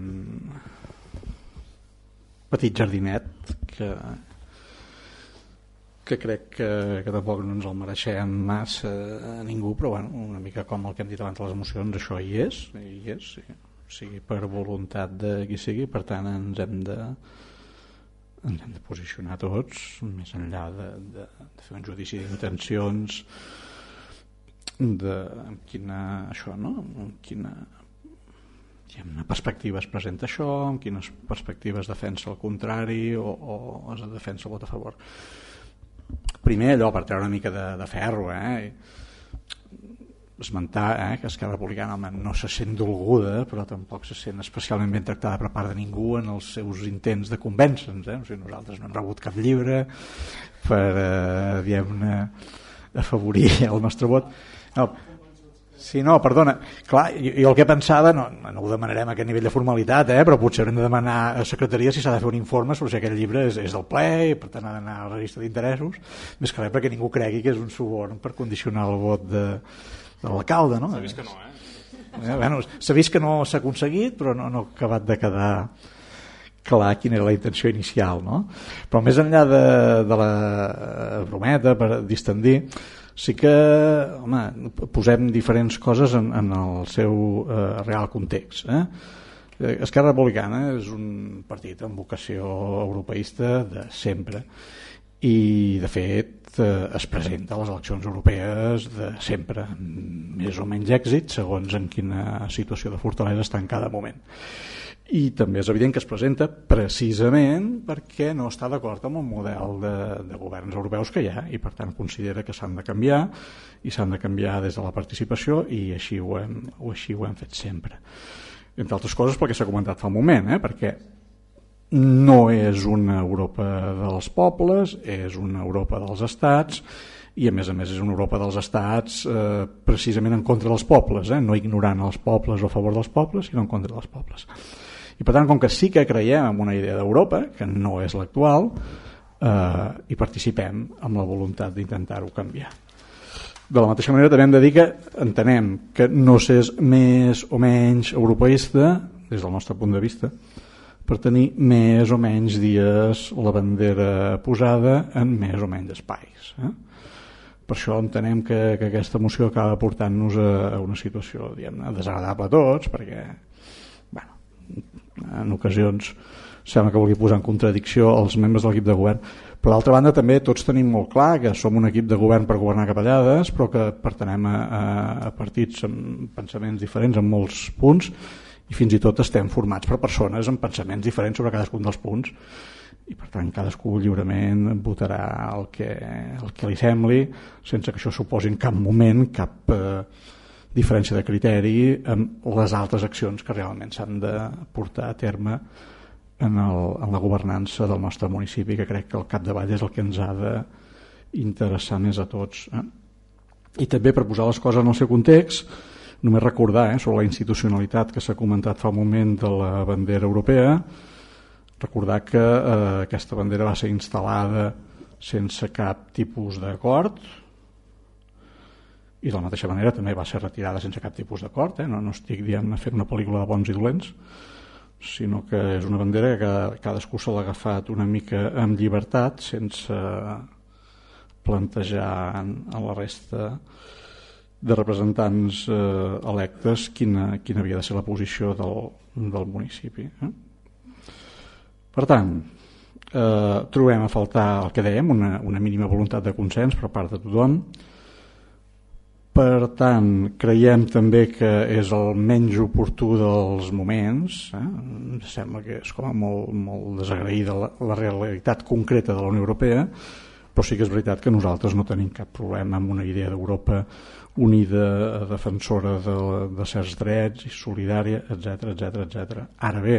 petit jardinet que, que crec que, que tampoc no ens el mereixem massa a ningú, però bueno, una mica com el que hem dit abans de les emocions, això hi és, hi és, sí. Sigui per voluntat de qui sigui, per tant ens hem de ens hem de posicionar tots, més enllà de, de, de fer un judici d'intencions, de amb quina, això, no? Amb quina, quina perspectiva es presenta això, amb quines perspectives defensa el contrari o, o es defensa el vot a favor. Primer allò, per treure una mica de, de ferro, eh? esmentar eh, que Esquerra Republicana home, no se sent dolguda, però tampoc se sent especialment ben tractada per part de ningú en els seus intents de convèncer-nos. Eh? O sigui, nosaltres no hem rebut cap llibre per eh, diguem-ne, afavorir el nostre vot. No, sí, no, perdona. Clar, jo, jo el que pensava, no, no ho demanarem a aquest nivell de formalitat, eh, però potser haurem de demanar a secretaria si s'ha de fer un informe sobre si aquell llibre és, és del ple i per tant ha d'anar al registre d'interessos, més que res perquè ningú cregui que és un suborn per condicionar el vot de de l'alcalde, no? S'ha vist que no, eh? eh bueno, s'ha vist que no s'ha aconseguit, però no, no ha acabat de quedar clar quina era la intenció inicial, no? Però més enllà de, de la brometa, per distendir, sí que, home, posem diferents coses en, en el seu eh, real context, eh? Esquerra Republicana és un partit amb vocació europeista de sempre i de fet eh, es presenta a les eleccions europees de sempre, amb més o menys èxit segons en quina situació de fortalesa està en cada moment. I també és evident que es presenta precisament perquè no està d'acord amb el model de, de governs europeus que hi ha i per tant considera que s'han de canviar i s'han de canviar des de la participació i així ho hem, o així ho hem fet sempre. Entre altres coses perquè s'ha comentat fa un moment, eh? Perquè no és una Europa dels pobles, és una Europa dels estats i a més a més és una Europa dels estats eh, precisament en contra dels pobles, eh? No ignorant els pobles o a favor dels pobles, sinó en contra dels pobles. I per tant, com que sí que creiem en una idea d'Europa, que no és l'actual, eh, hi participem amb la voluntat d'intentar-ho canviar. De la mateixa manera també hem de dir que entenem que no s'és més o menys europeista des del nostre punt de vista per tenir més o menys dies la bandera posada en més o menys espais. Eh? Per això entenem que, que aquesta moció acaba portant-nos a, a una situació diguem-ne desagradable a tots, perquè bueno, en ocasions sembla que vulgui posar en contradicció els membres de l'equip de govern. Per l'altra banda també tots tenim molt clar que som un equip de govern per governar capellades, però que pertenem a, a partits amb pensaments diferents en molts punts i fins i tot estem formats per persones amb pensaments diferents sobre cadascun dels punts i per tant cadascú lliurement votarà el que, el que li sembli sense que això suposi en cap moment cap eh, diferència de criteri amb les altres accions que realment s'han de portar a terme en, el, en la governança del nostre municipi, que crec que al capdavall és el que ens ha d'interessar més a tots. Eh? I també, per posar les coses en el seu context, només recordar eh, sobre la institucionalitat que s'ha comentat fa un moment de la bandera europea, recordar que eh, aquesta bandera va ser instal·lada sense cap tipus d'acord, i de la mateixa manera també va ser retirada sense cap tipus d'acord, eh? no, no estic dient fent una pel·lícula de bons i dolents, sinó que és una bandera que cadascú se l'ha agafat una mica amb llibertat, sense plantejar a la resta de representants eh, electes quina, quina havia de ser la posició del, del municipi. Eh? Per tant, eh, trobem a faltar el que dèiem, una, una mínima voluntat de consens per part de tothom. Per tant, creiem també que és el menys oportú dels moments. Eh? Em sembla que és com a molt, molt desagraïda la, la realitat concreta de la Unió Europea, però sí que és veritat que nosaltres no tenim cap problema amb una idea d'Europa unida, defensora de, de certs drets i solidària, etcètera, etcètera, etcètera. Ara bé,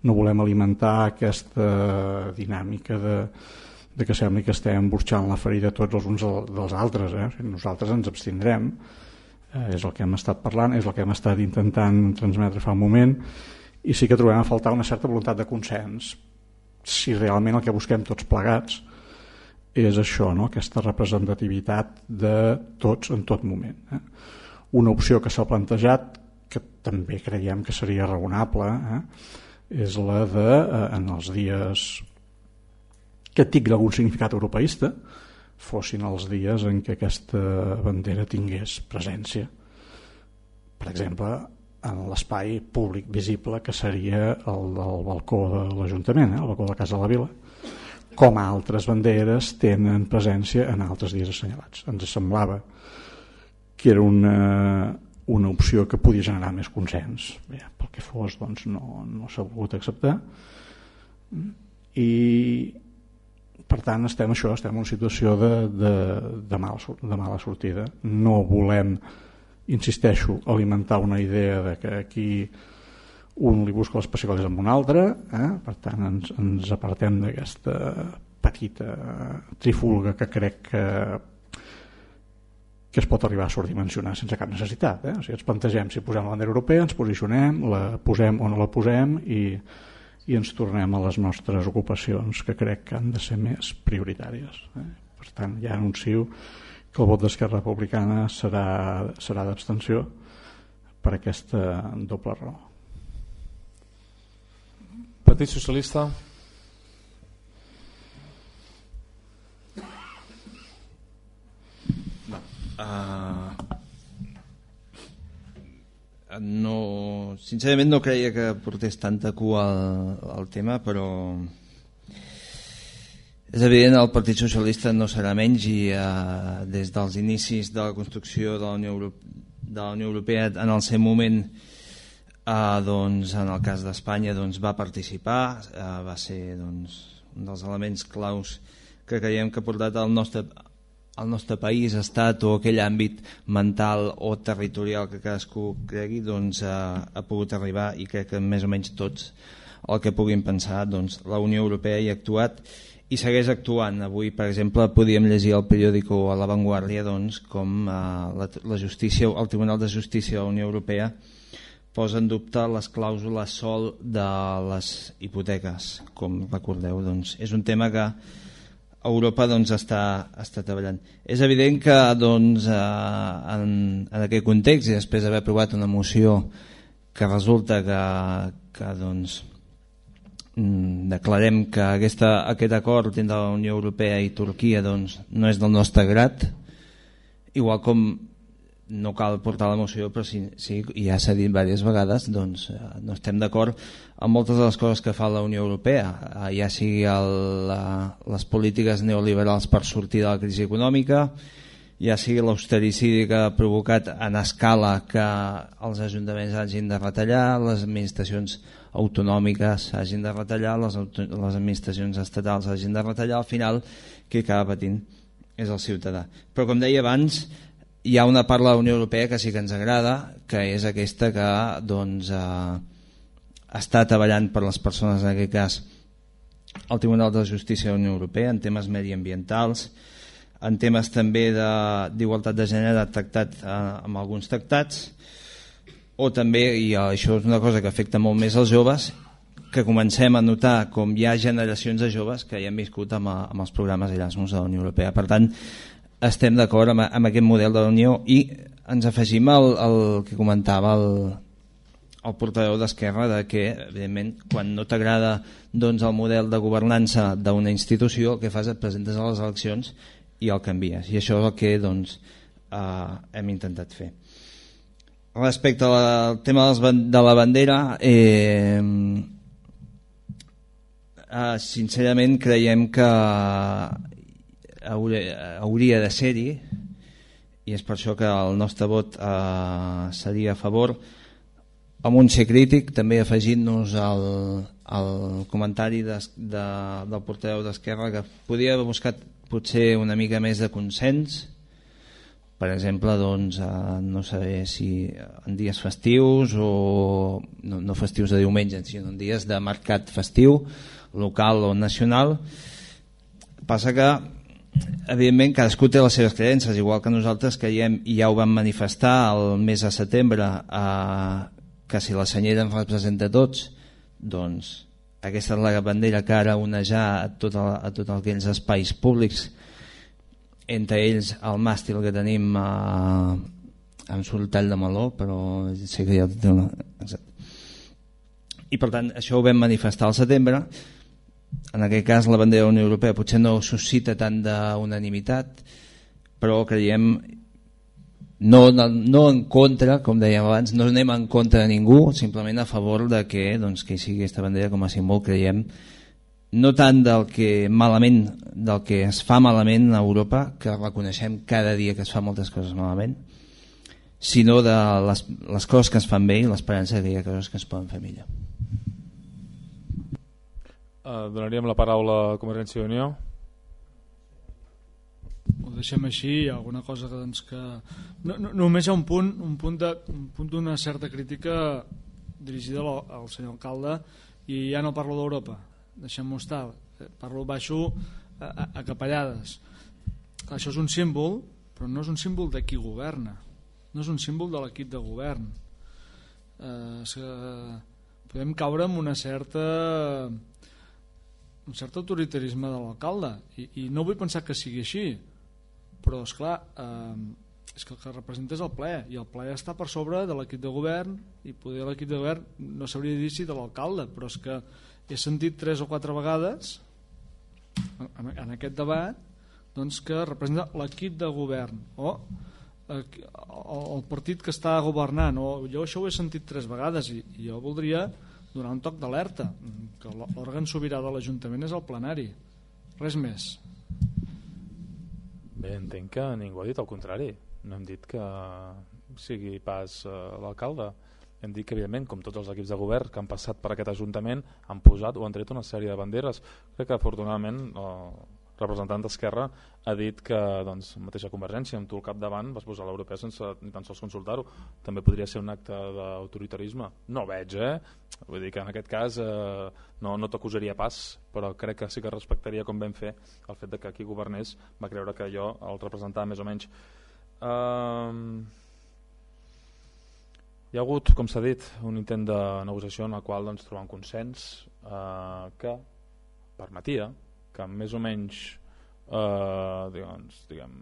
no volem alimentar aquesta dinàmica de de que sembli que estem burxant la ferida tots els uns dels altres. Eh? Nosaltres ens abstindrem, eh, és el que hem estat parlant, és el que hem estat intentant transmetre fa un moment, i sí que trobem a faltar una certa voluntat de consens si realment el que busquem tots plegats és això, no? Aquesta representativitat de tots en tot moment. Eh? Una opció que s'ha plantejat, que també creiem que seria raonable, eh? és la de, eh, en els dies que tingui algun significat europeista, fossin els dies en què aquesta bandera tingués presència. Per exemple, en l'espai públic visible que seria el del balcó de l'Ajuntament, eh? el balcó de la Casa de la Vila, com altres banderes tenen presència en altres dies assenyalats. Ens semblava que era una, una opció que podia generar més consens. Bé, pel que fos, doncs, no, no s'ha volgut acceptar. I per tant estem això, estem en una situació de, de, de, mala, de mala sortida. No volem, insisteixo, alimentar una idea de que aquí un li busca les pessigolles amb un altre, eh? Per tant ens, ens apartem d'aquesta petita trifulga que crec que, que es pot arribar a sobredimensionar sense cap necessitat. Eh? O sigui, ens plantegem si posem la bandera europea, ens posicionem, la posem o no la posem i i ens tornem a les nostres ocupacions, que crec que han de ser més prioritàries. Eh? Per tant, ja anuncio que el vot d'Esquerra Republicana serà, serà d'abstenció per aquesta doble raó. Partit Socialista. No. Uh... No, sincerament no creia que portés tanta cua al, al tema, però és evident el Partit Socialista no serà menys i eh, des dels inicis de la construcció de la Unió, de la Unió Europea en el seu moment, eh, doncs, en el cas d'Espanya, doncs, va participar, eh, va ser, doncs, un dels elements claus que creiem que ha portat el nostre el nostre país, estat o aquell àmbit mental o territorial que cadascú cregui, doncs, ha, ha pogut arribar, i crec que més o menys tots el que puguin pensar, doncs, la Unió Europea hi ha actuat i segueix actuant. Avui, per exemple, podíem llegir al periòdico a La Vanguardia, doncs, com eh, la, la justícia, el Tribunal de Justícia de la Unió Europea posa en dubte les clàusules sol de les hipoteques. Com recordeu, doncs, és un tema que Europa, doncs, està, està treballant. És evident que, doncs, eh, en, en aquest context, i després d'haver aprovat una moció que resulta que, que doncs, declarem que aquesta, aquest acord entre la Unió Europea i Turquia, doncs, no és del nostre grat, igual com no cal portar la moció, però sí, sí, ja s'ha dit diverses vegades, doncs, no estem d'acord amb moltes de les coses que fa la Unió Europea, ja sigui el, la, les polítiques neoliberals per sortir de la crisi econòmica, ja sigui l'austericidi que ha provocat en escala que els ajuntaments hagin de retallar, les administracions autonòmiques hagin de retallar, les, les administracions estatals hagin de retallar. Al final qui acaba patint és el ciutadà. Però, com deia abans, hi ha una part de la Unió Europea que sí que ens agrada, que és aquesta que doncs, eh, està treballant per les persones, en aquest cas el Tribunal de Justícia de la Unió Europea, en temes mediambientals, en temes també d'igualtat de, de gènere tractat eh, amb alguns tractats, o també, i això és una cosa que afecta molt més als joves, que comencem a notar com hi ha generacions de joves que ja han viscut amb, amb els programes Erasmus de la Unió Europea. Per tant, estem d'acord amb, amb aquest model de la Unió i ens afegim al, al que comentava el, el portaveu d'Esquerra, de que, evidentment, quan no t'agrada doncs, el model de governança d'una institució, el que fas et presentes a les eleccions i el canvies. I això és el que doncs, eh, hem intentat fer. Respecte al tema de la bandera, eh, eh, sincerament creiem que hauria, hauria de ser-hi, i és per això que el nostre vot eh, seria a favor, amb un ser crític, també afegint-nos al, al comentari de, de, del portaveu d'Esquerra, que podria haver buscat potser una mica més de consens. Per exemple, doncs, eh, no sé si en dies festius o no, no festius de diumenge, sinó en dies de mercat festiu, local o nacional. Passa que, evidentment, cadascú té les seves creences, igual que nosaltres creiem, i ja ho vam manifestar el mes de setembre, eh, que si la senyera ens representa a tots, doncs aquesta és la bandera que ara onejar a tots tot aquells espais públics, entre ells el màstil que tenim eh, amb soltall de meló, però sé que ja té una... Exacte. I per tant això ho vam manifestar al setembre. En aquest cas la bandera de la Unió Europea potser no suscita tant d'unanimitat, però creiem no, no en contra, com dèiem abans, no anem en contra de ningú, simplement a favor de que, doncs, que sigui aquesta bandera com a símbol, creiem, no tant del que malament, del que es fa malament a Europa, que reconeixem cada dia que es fa moltes coses malament, sinó de les, les coses que es fan bé i l'esperança que hi ha coses que es poden fer millor. Uh, donaríem la paraula a Convergència i Unió. Ho deixem així, alguna cosa que... Doncs, que... No, no, només hi ha un punt un punt de, un punt d'una certa crítica dirigida al, al senyor alcalde, i ja no parlo d'Europa, deixem-ho estar, parlo baixo a, a, a capellades. Això és un símbol, però no és un símbol de qui governa, no és un símbol de l'equip de govern. Eh, és que podem caure en una certa un cert autoritarisme de l'alcalde, i, i no vull pensar que sigui així, però esclar, eh, és que el que representa és el ple, i el ple està per sobre de l'equip de govern, i poder l'equip de govern no s'hauria de dir si de l'alcalde, però és que he sentit tres o quatre vegades en, en aquest debat doncs, que representa l'equip de govern o eh, el partit que està governant, o jo això ho he sentit tres vegades, i, i jo voldria donar un toc d'alerta, que l'òrgan sobirà de l'Ajuntament és el plenari, res més. Bé, entenc que ningú ha dit el contrari, no hem dit que sigui pas uh, l'alcalde, hem dit que evidentment, com tots els equips de govern que han passat per aquest Ajuntament, han posat o han tret una sèrie de banderes. Crec que afortunadament el representant d'Esquerra ha dit que doncs, mateixa Convergència, amb tu al capdavant vas posar l'europea sense ni tan sols consultar-ho. També podria ser un acte d'autoritarisme, no veig, eh? Vull dir que en aquest cas eh, no, no t'acusaria pas, però crec que sí que respectaria, com vam fer, el fet de que qui governés va creure que jo el representava més o menys. Uh... Hi ha hagut, com s'ha dit, un intent de negociació en el qual doncs, trobar un consens eh, que permetia que més o menys eh, diguem, diguem,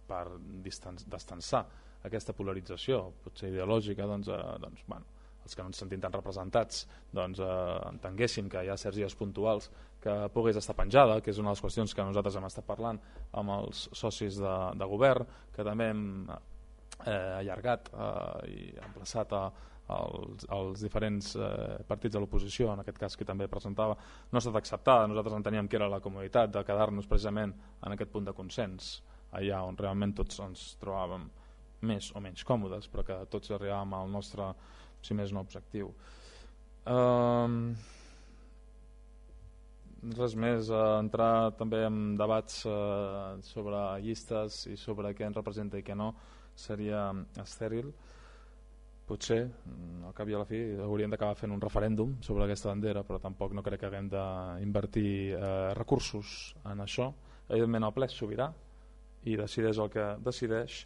per distensar aquesta polarització potser ideològica, doncs, eh, doncs, bueno, els que no ens sentim tan representats doncs, eh, entenguéssim que hi ha certs dies puntuals que pogués estar penjada, que és una de les qüestions que nosaltres hem estat parlant amb els socis de, de govern, que també hem eh, allargat eh, i emplaçat a, als, als diferents eh, partits de l'oposició, en aquest cas que també presentava, no ha estat acceptada. Nosaltres enteníem que era la comoditat de quedar-nos precisament en aquest punt de consens, allà on realment tots ens trobàvem més o menys còmodes, però que tots arribàvem al nostre, si més no, objectiu. Um, res més, eh, entrar també en debats eh, sobre llistes i sobre què ens representa i què no seria estèril. Potser, al cap i a la fi, hauríem d'acabar fent un referèndum sobre aquesta bandera, però tampoc no crec que haguem d'invertir eh, recursos en això. Evidentment el ple és sobirà i decideix el que decideix.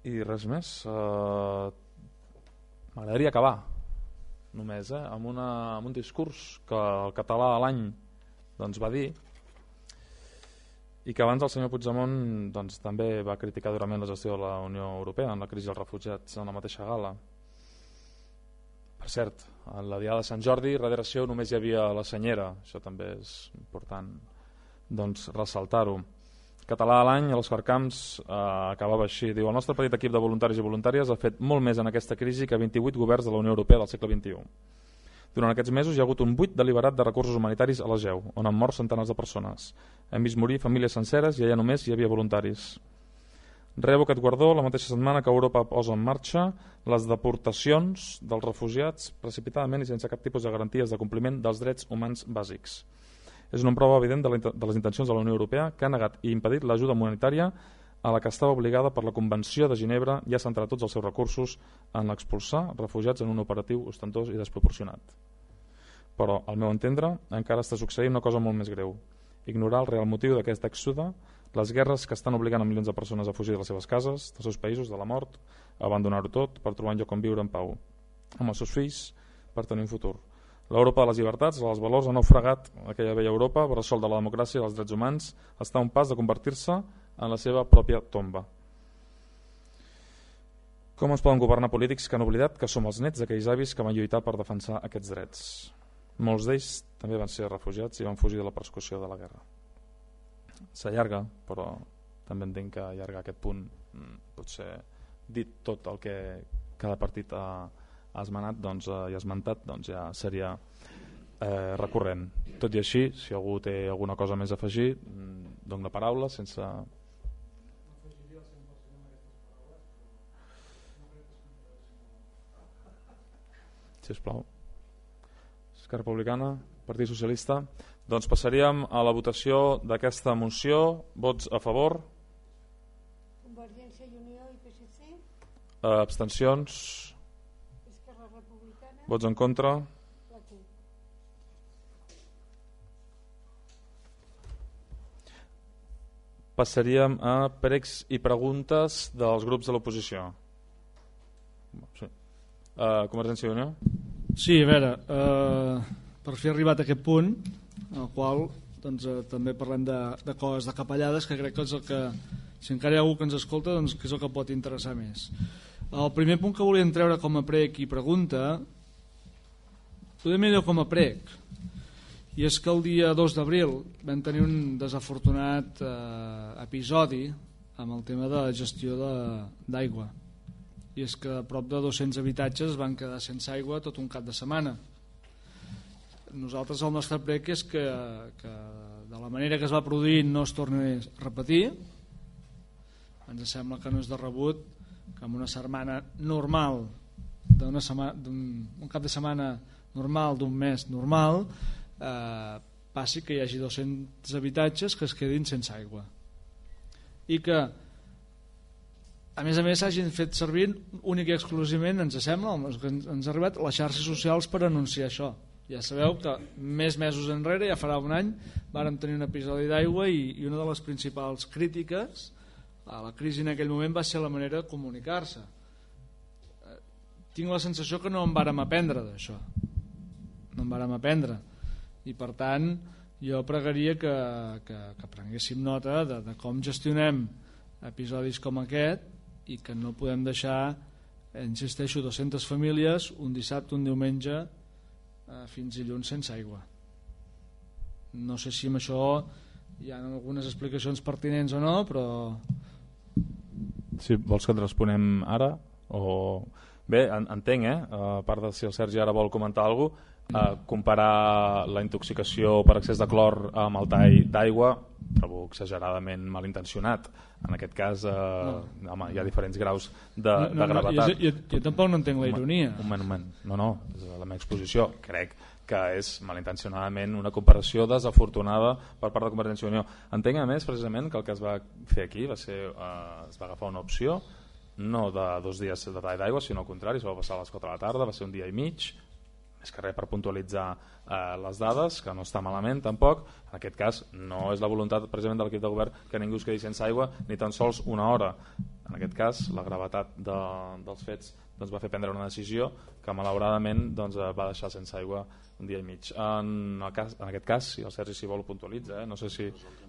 I res més. Eh, M'agradaria acabar només eh, amb, una, amb un discurs que el català de l'any doncs, va dir, i que abans el senyor Puigdemont doncs, també va criticar durament la gestió de la Unió Europea en la crisi dels refugiats en la mateixa gala. Per cert, a la diada de Sant Jordi darrere seu només hi havia la senyera, això també és important doncs, ressaltar-ho. Català de l'any, els Carcamps eh, acabava així, diu: el nostre petit equip de voluntaris i voluntàries ha fet molt més en aquesta crisi que vint-i-vuit governs de la Unió Europea del segle vint-i-u. Durant aquests mesos hi ha hagut un buit deliberat de recursos humanitaris a l'Egeu, on han mort centenars de persones. Hem vist morir famílies senceres i allà només hi havia voluntaris. Rebo aquest guardó la mateixa setmana que Europa posa en marxa les deportacions dels refugiats precipitadament i sense cap tipus de garanties de compliment dels drets humans bàsics. És una prova evident de, la, de les intencions de la Unió Europea, que ha negat i impedit l'ajuda humanitària a la que estava obligada per la Convenció de Ginebra i ha centrat tots els seus recursos en l'expulsar refugiats en un operatiu ostentós i desproporcionat. Però, al meu entendre, encara està succeint una cosa molt més greu: ignorar el real motiu d'aquest èxode, les guerres que estan obligant a milions de persones a fugir de les seves cases, dels seus països, de la mort, a abandonar-ho tot per trobar un lloc on viure en pau, amb els seus fills, per tenir un futur. L'Europa de les llibertats, dels valors, ha naufragat aquella vella Europa, bressol de la democràcia i dels drets humans, està a un pas de convertir-se en la seva pròpia tomba. Com es poden governar polítics que han oblidat que som els nets d'aquells avis que van lluitar per defensar aquests drets? Molts d'ells també van ser refugiats i van fugir de la persecució de la guerra. S'allarga, però també entenc que allargar aquest punt potser dit tot el que cada partit ha ha esmenat, doncs, eh, i ha esmentat, doncs ja seria eh, recurrent. Tot i així, si algú té alguna cosa més a afegir, dono la paraula sense... Sisplau. Esquerra Republicana, Partit Socialista. Doncs passaríem a la votació d'aquesta moció. Vots a favor? Convergència i Unió i P S C. Eh, abstencions? Vots en contra? Passaríem a pregs i preguntes dels grups de l'oposició. Sí. Uh, Convergència i Unió? Sí, a veure, uh, per fer arribat a aquest punt, en el qual doncs, uh, també parlem de, de coses, de capellades, que crec que és el que, si encara hi ha algú que ens escolta, doncs que és el que pot interessar més. El primer punt que volíem treure com a prec i pregunta, podem millor com a prec, i és que el dia dos d'abril vam tenir un desafortunat eh, episodi amb el tema de la gestió d'aigua, i és que a prop de dos-cents habitatges van quedar sense aigua tot un cap de setmana. Nosaltres el nostre prec és que, que de la manera que es va produir no es torni a repetir. Ens sembla que no és de rebut que en una setmana normal d'un un cap de setmana normal, d'un mes normal, eh, passi que hi hagi dos-cents habitatges que es quedin sense aigua, i que a més a més s'hagin fet servir únic i exclusivament, ens sembla, que ens ha arribat les xarxes socials per anunciar això. Ja sabeu que més mesos enrere, ja farà un any, vàrem tenir un episodi d'aigua i, i una de les principals crítiques a la crisi en aquell moment va ser la manera de comunicar-se. Tinc la sensació que no en vàrem aprendre d'això, no en vàrem aprendre, i per tant jo pregaria que, que, que prenguéssim nota de, de com gestionem episodis com aquest, i que no podem deixar, insisteixo, dues-centes famílies un dissabte, un diumenge eh, fins dilluns sense aigua. No sé si amb això hi ha algunes explicacions pertinents o no, però... Si vols que et responem ara o... Bé, entenc, eh? A part de si el Sergi ara vol comentar alguna cosa, eh, comparar la intoxicació per excés de clor amb el tall d'aigua trobo exageradament malintencionat. En aquest cas eh, no. home, hi ha diferents graus de, no, no, de gravetat. No, jo, jo, jo tampoc no entenc la ironia. Un moment, un moment. No, no, és la meva exposició. Crec que és malintencionadament una comparació desafortunada per part de Convergència i Unió. Entenc a més precisament que el que es va fer aquí va ser, eh, es va agafar una opció no de dos dies de tall d'aigua, sinó al contrari, es va passar a les quatre de la tarda, va ser un dia i mig, més que res per puntualitzar eh, les dades, que no està malament tampoc. En aquest cas no és la voluntat precisament de l'equip de govern que ningú es quedi sense aigua ni tan sols una hora. En aquest cas la gravetat de, dels fets doncs, va fer prendre una decisió que malauradament doncs, va deixar sense aigua un dia i mig. En, el cas, en aquest cas, si el Sergi si vol ho puntualitza, eh? No sé si,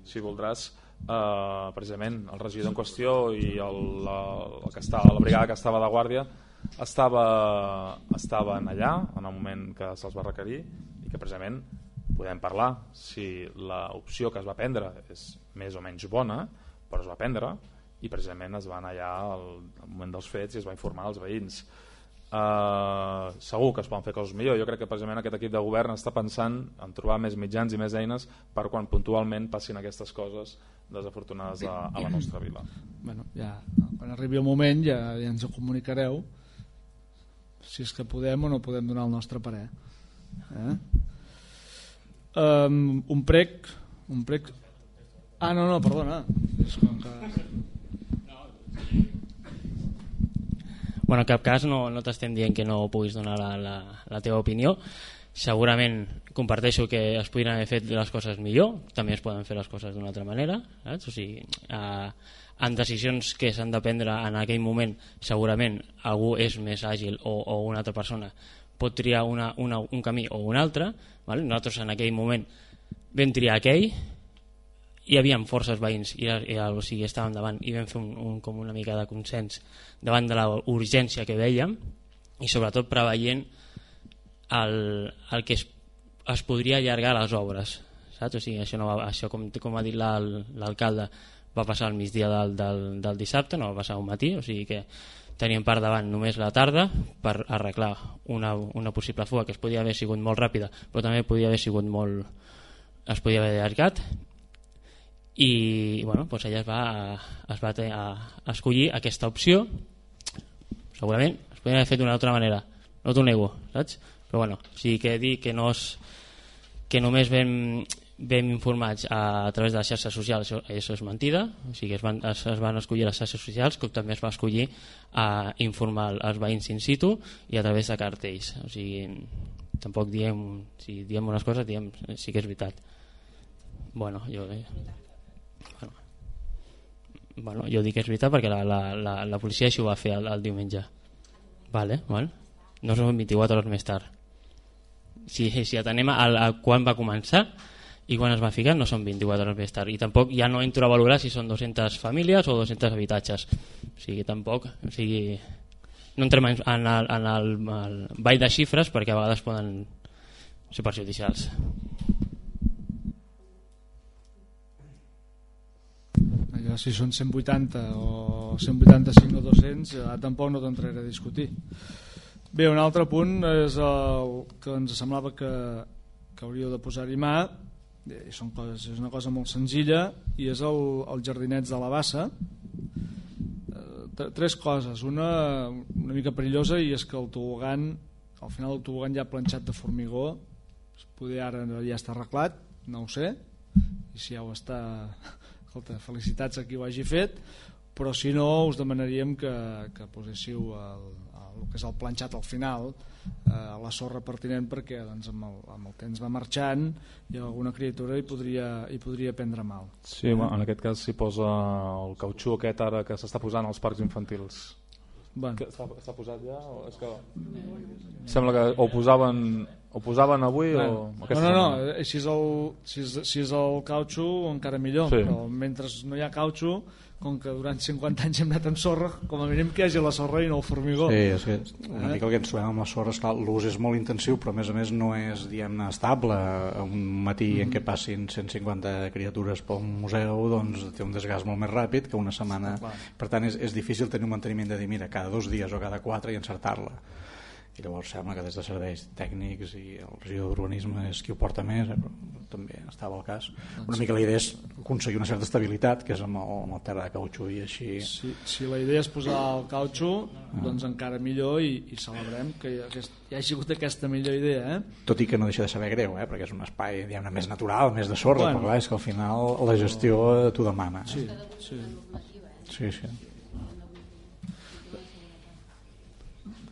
si voldràs eh, precisament el regidor en qüestió i el, la, el que està, la brigada que estava de guàrdia estava, estaven allà en el moment que se'ls va requerir i que precisament podem parlar si l'opció que es va prendre és més o menys bona, però es va prendre i precisament es va anar allà al, al moment dels fets i es va informar als veïns. Uh, segur que es poden fer coses millor. Jo crec que precisament aquest equip de govern està pensant en trobar més mitjans i més eines per quan puntualment passin aquestes coses desafortunades a, a la nostra vila. Bueno, ja, quan arribi el moment ja, ja ens ho comunicareu si és que podem o no podem donar el nostre parer. Eh? Um, un prec un prec ah no, no, perdona és com que... Bueno, en cap cas no, no t'estem dient que no puguis donar la, la, la teva opinió. Segurament comparteixo que es podrien haver fet les coses millor, també es poden fer les coses d'una altra manera, saps? O sigui, eh, en decisions que s'han de prendre en aquell moment segurament algú és més àgil o, o una altra persona pot triar una, una, un camí o un altre, vale? Nosaltres en aquell moment vam triar aquell, hi havia forces veïns i, i o sigui, estàvem davant i vam fer un, un, com una mica de consens davant de la urgència que vèiem i sobretot preveient el, el que es, es podria allargar les obres, saps? O sigui, això, no va, això com, com ha dit l'alcalde va passar al migdia del, del, del dissabte, no va passar un matí, o sigui que teníem per davant només la tarda per arreglar una, una possible fuga que es podia haver sigut molt ràpida però també podia haver sigut molt es podia haver allargat i bueno, doncs ella es va, es va a, a escollir aquesta opció. Segurament es podria haver fet d'una altra manera, no t'ho nego, saps? Però bueno, o sigui que dir que, no es, que només vam, vam informats a, a través de les xarxes socials, això, això és mentida, o sigui que es van, es, es van escollir les xarxes socials com també es va escollir a informar els veïns in situ i a través de cartells, o sigui tampoc diem, si diem unes coses diem, sí que és veritat. Bueno, jo... Eh, Bueno, bueno, jo dic que és veritat perquè la, la, la, la policia això ho va fer el, el diumenge. Vale, vale. No són vint-i-quatre hores més tard. Si, si atenem a, a quan va començar i quan es va ficar, no són vint-i-quatre hores més tard. I tampoc ja no entro a valorar si són dues-centes famílies o dos-cents habitatges. O sigui, tampoc... O sigui, no entrem en, en, el, en el, el ball de xifres perquè a vegades poden ser perjudicials. Ja, si són cent vuitanta o cent vuitanta-cinc o dos-cents ja tampoc no t'entraré a discutir. Bé, un altre punt és el que ens semblava que, que hauríeu de posar-hi mà i són coses, és una cosa molt senzilla i és el, el jardinets de la Bassa. Tres coses, una una mica perillosa i és que el tobogan al final el tobogan ja planxat de formigó, poder ara ja està arreglat, no ho sé, i si ja ho està... Escolta, felicitats a qui ho hagi fet, però si no us demanaríem que, que poséssiu el, el, el que és el planxat al final eh, a la sorra pertinent perquè doncs, amb, el, amb el temps va marxant i alguna criatura hi podria, hi podria prendre mal. Sí, eh? En aquest cas s'hi posa el cautxú aquest ara que s'està posant als parcs infantils. Bueno. Està, està posat ja? O és que... Sembla que ho posaven, ho posaven avui bueno. o aquesta no, no, no, si és el, si és, si és el cautxú encara millor, sí. Però mentre no hi ha cautxú, com que durant cinquanta anys hem anat amb sorra, com a mínim que hi hagi la sorra i no el formigó. Sí, és que una mica el que ens trobem amb la sorra, esclar, l'ús és molt intensiu, però a més a més no és, diguem-ne, estable. Un matí mm. en què passin cent cinquanta criatures pel museu, doncs té un desgast molt més ràpid que una setmana. Per tant, és, és difícil tenir un manteniment de dir, mira, cada dos dies o cada quatre i encertar-la. i llavors sembla que des de serveis tècnics i el regidor d'urbanisme és qui ho porta més, eh, però també estava el cas. Una mica la idea és aconseguir una certa estabilitat, que és amb el, amb el terra de cautxú i així. Si, si la idea és posar el cautxú, ah. doncs encara millor, i, i celebrem que hi, ha, hi hagi hagut aquesta millor idea. Eh? Tot i que no deixa de saber greu, eh? Perquè és un espai diguem-ne més natural, més de sorra, bueno, però clar, és que al final la gestió t'ho demana. Eh? Sí, sí. Sí, sí.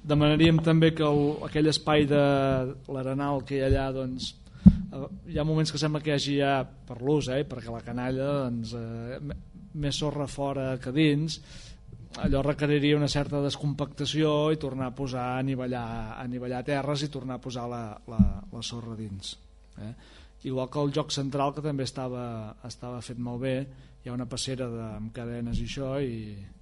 Demanaríem també que el, aquell espai de l'Arenal que hi ha allà, doncs, hi ha moments que sembla que hi hagi ja, per l'ús, eh, perquè la canalla, doncs, eh, més sorra fora que dins, allò requeriria una certa descompactació i tornar a posar, a anivellar, a anivellar terres i tornar a posar la, la, la sorra dins. Eh? Igual que el joc central, que també estava, estava fet molt bé, hi ha una passera de, amb cadenes i això, i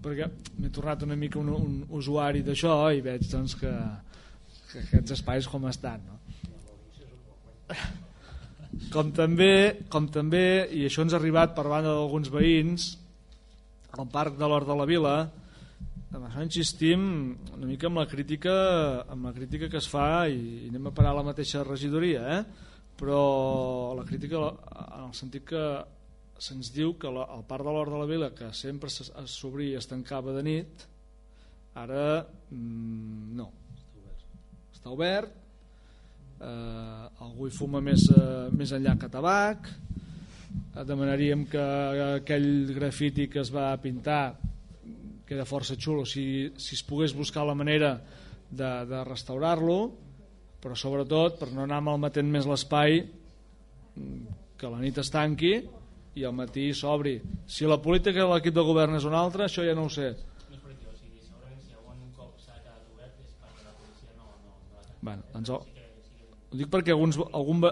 perquè m'he tornat una mica un, un usuari d'això i veig doncs, que, que aquests espais com estan, no? Com també, com també, i això ens ha arribat per banda d'alguns veïns, al Parc de l'Hort de la Vila, amb això insistim una mica amb la crítica, amb la crítica que es fa, i, i anem a parar a la mateixa regidoria, eh? Però la crítica en el sentit que se'ns diu que la, el Parc de l'Hort de la Vila, que sempre s'obria i es tancava de nit, ara mmm, no, està obert, eh, algú hi fuma més, eh, més enllà que tabac. Eh, demanaríem que aquell grafiti que es va pintar queda força xulo, si, si es pogués buscar la manera de, de restaurar-lo, però sobretot per no anar malmetent més l'espai, que la nit es tanqui i al matí s'obri. Si la política de l'equip de govern és una altra, això ja no ho sé. No és política, o sigui, segurament si algun cop s'ha quedat obert és perquè la policia no... no, no bueno, doncs ho, ho dic perquè alguns, algun,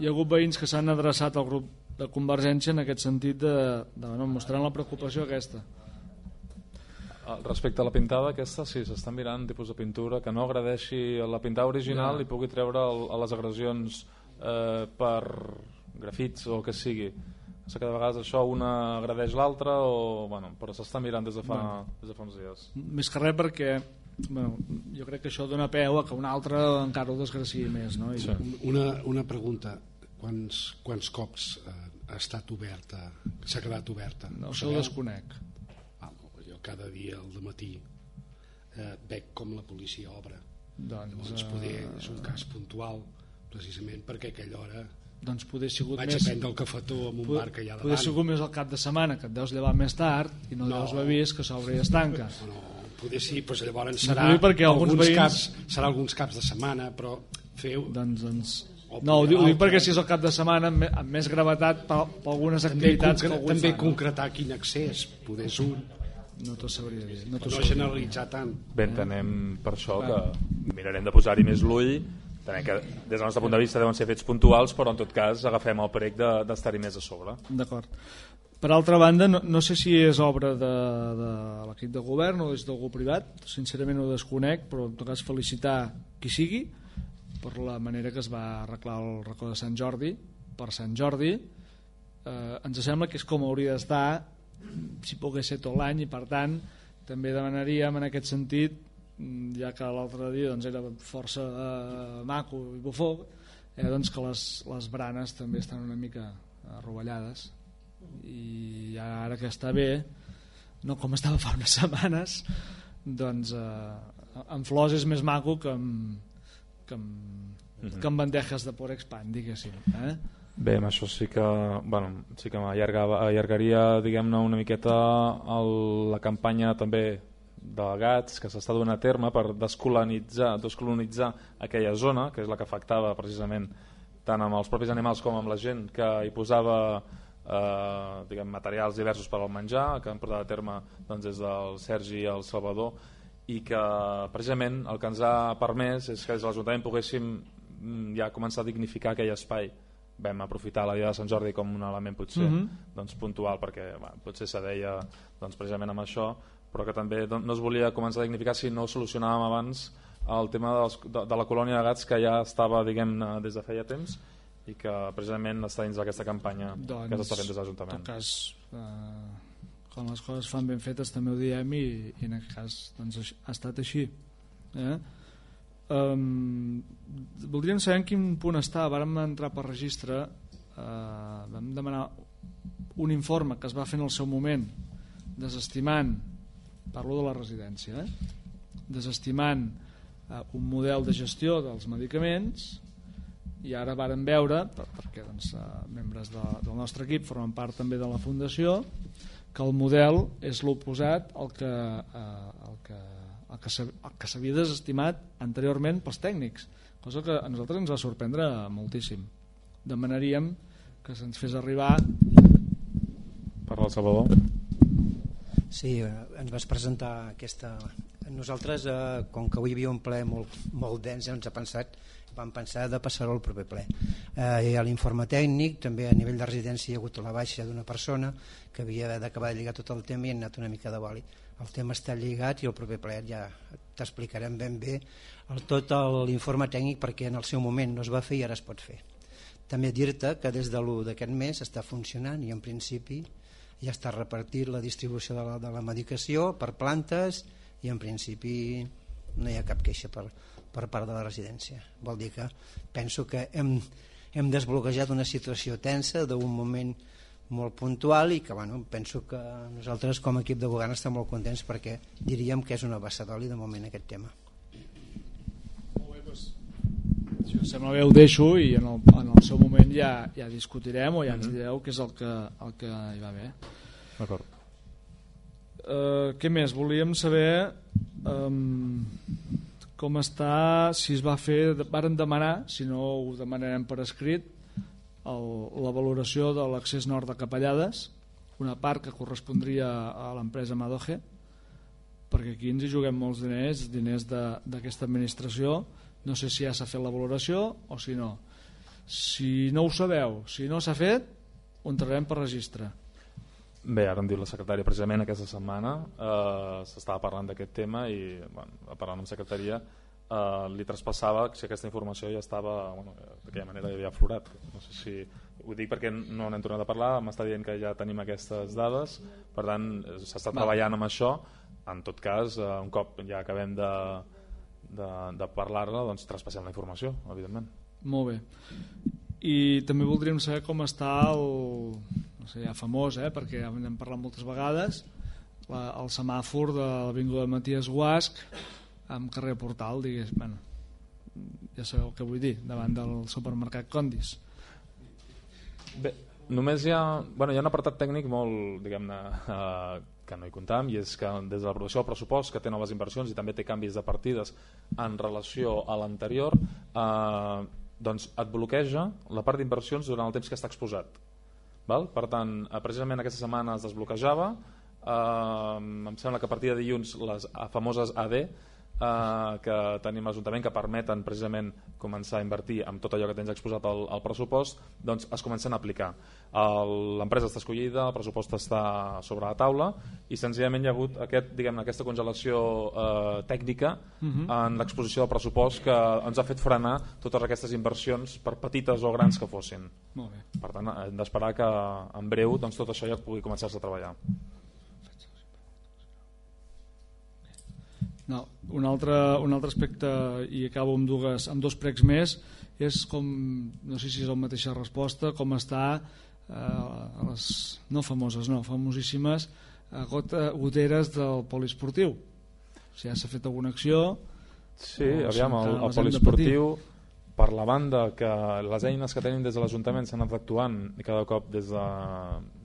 hi ha hagut veïns que s'han adreçat al grup de Convergència en aquest sentit de, de bueno, mostrant la preocupació aquesta. Respecte a la pintada aquesta, sí, s'està mirant tipus de pintura que no agradeixi la pintada original, ja. I pugui treure el, a les agressions eh, per grafits o el que sigui. Que de vegades això una agradeix l'altra, o, bueno, però s'està mirant des de, fa, bueno, des de fa uns dies. Més que res perquè bueno, jo crec que això dona peu a que un altre encara ho desgraciï més, no? I... Sí. Una, una pregunta, quants, quants cops eh, ha estat oberta, s'ha quedat oberta? No, això ho desconec. Ah, jo cada dia al dematí eh, veig com la policia obre. Doncs, Llavors poder, és un cas puntual precisament perquè a aquella hora doncs poder sigut vaig més, a prendre el cafetó en un poder, bar que hi ha davant. Poder sigut més al cap de setmana, que et deus llevar més tard i no, no. deus haver vist que s'obre i es tanca. No, no, poder sí, doncs llavors serà, no, alguns veïns... caps, serà alguns caps de setmana, però feu... Doncs, doncs... No, ho dic, ho dic perquè si és el cap de setmana amb, amb més gravetat per, per algunes activitats també, que algú també fa, concretar no? Quin accés, poder és un... No t'ho sabria dir. No, no generalitzar tant. Bé, entenem per això que mirarem de posar-hi més l'ull. També que des del nostre punt de vista deuen ser fets puntuals, però en tot cas agafem el prec d'estar-hi més a sobre. D'acord. Per altra banda, no, no sé si és obra de, de l'equip de govern o és d'algú privat, sincerament ho desconec, però en tot cas felicitar qui sigui per la manera que es va arreglar el racó de Sant Jordi per Sant Jordi. Eh, ens sembla que és com hauria d'estar si pogués ser tot l'any, i per tant també demanaríem en aquest sentit, ja que l'altre dia doncs, era força eh, maco i bufó, eh, doncs que les, les branes també estan una mica rovellades, i ara que està bé, no com estava fa unes setmanes, doncs eh, amb flors és més maco que amb, que amb, que amb bandejes de Porexpan, diguéssim. Eh? Bé, amb això sí que, bueno, sí que m'allargaria, diguem-ne, una miqueta el, la campanya també de gats que s'està donant a terme per descolonitzar, descolonitzar aquella zona, que és la que afectava precisament tant amb els propis animals com amb la gent que hi posava eh, diguem, materials diversos per al menjar, que han portat a terme doncs, des del Sergi i el Salvador, i que precisament el que ens ha permès és que des de l'Ajuntament poguéssim ja començar a dignificar aquell espai. Vam aprofitar la dia de Sant Jordi com un element potser mm-hmm. doncs, puntual, perquè bueno, potser se deia doncs, precisament amb això, però que també no es volia començar a dignificar si no solucionàvem abans el tema dels, de, de la colònia de gats que ja estava, diguem-ne, des de feia temps, i que precisament està dins d'aquesta campanya doncs, que s'està fent des de l'Ajuntament. En tot cas, eh, quan les coses fan ben fetes també ho diem, i, i en aquest cas doncs, ha estat així. Eh? Um, voldríem saber en quin punt està. Vàrem entrar per registre, uh, vam demanar un informe que es va fer en el seu moment desestimant, parlo de la residència, eh? desestimant uh, un model de gestió dels medicaments, i ara vàrem veure, per, perquè doncs, uh, membres de, del nostre equip formen part també de la fundació, que el model és l'oposat al que, uh, al que, al que, al que s'havia desestimat anteriorment pels tècnics, cosa que a nosaltres ens va sorprendre moltíssim. Demanaríem que se'ns fes arribar. Parla el Salvador. Sí, ens vas presentar aquesta... Nosaltres, eh, com que avui hi havia un ple molt, molt dens, ens ha pensat, vam pensar de passar-ho al proper ple. Eh, hi ha l'informe tècnic, també a nivell de residència hi ha hagut la baixa d'una persona que havia d'acabar de lligar tot el tema i ha anat una mica de boli. El tema està lligat i el proper ple ja t'explicarem ben bé el, tot l'informe tècnic, perquè en el seu moment no es va fer i ara es pot fer. També dir-te que des de l'u d'aquest mes està funcionant i en principi ja està repartit la distribució de la, de la medicació per plantes i en principi no hi ha cap queixa per, per part de la residència. Vol dir que penso que hem, hem desbloquejat una situació tensa d'un moment molt puntual i que bueno, penso que nosaltres com a equip de govern estem molt contents perquè diríem que és una abasadoli de moment aquest tema. Molt bé, doncs, si us sembla bé ho deixo i en el, en el seu moment ja, ja discutirem o ja ens direu què és el que, el que hi va bé. D'acord. Uh, què més? Volíem saber um, com està, si es va fer, varen demanar, si no ho demanarem per escrit, el, la valoració de l'accés nord de Capellades, una part que correspondria a l'empresa Madoge, perquè aquí ens hi juguem molts diners, diners d'aquesta administració. No sé si ja s'ha fet la valoració o si no. Si no ho sabeu, si no s'ha fet, ho entrarem per registre. Bé, ara em diu la secretària, precisament aquesta setmana eh, s'estava parlant d'aquest tema i bueno, parlant amb secretaria eh, li traspassava si aquesta informació ja estava, bueno, d'aquella manera ja havia aflorat. No sé si ho dic perquè no n'hem tornat a parlar, m'està dient que ja tenim aquestes dades, per tant s'està treballant amb això. En tot cas, eh, un cop ja acabem de, de, de parlar-la, doncs traspassem la informació, evidentment. Molt bé. I també voldríem saber com està el, no sé, ja famós, eh, perquè ja n'hem parlat moltes vegades, la, el semàfor de l'avinguda Maties Guasch amb carrer Portal, digués, bueno, ja sabeu el que vull dir, davant del supermercat Condis. Bé, només hi ha, bueno, hi ha un apartat tècnic molt, diguem-ne, eh, que no hi comptam, i és que des de l'aprovació del pressupost, que té noves inversions i també té canvis de partides en relació a l'anterior, eh, doncs et bloqueja la part d'inversions durant el temps que està exposat. Val? Per tant, precisament aquesta setmana es desbloquejava, eh, em sembla que a partir de dilluns les famoses A D eh, que tenim a l'Ajuntament, que permeten precisament començar a invertir amb tot allò que tens exposat al, al pressupost, doncs es comencen a aplicar. L'empresa està escollida, el pressupost està sobre la taula i senzillament hi ha hagut aquest, diguem, aquesta congelació eh, tècnica uh-huh. en l'exposició del pressupost que ens ha fet frenar totes aquestes inversions, per petites o grans que fossin. Molt bé. Per tant, hem d'esperar que en breu doncs, tot això ja pugui començar-se a treballar. No, un, altre, un altre aspecte, i acabo amb, dues, amb dos pregs més, és com, no sé si és la mateixa resposta, com està eh, les no famoses, no, famosíssimes eh, gota, goteres del poliesportiu. Si ja s'ha fet alguna acció. Sí, aviam, el, el poliesportiu, per la banda que les eines que tenim des de l'Ajuntament s'han anat actuant i cada cop des de,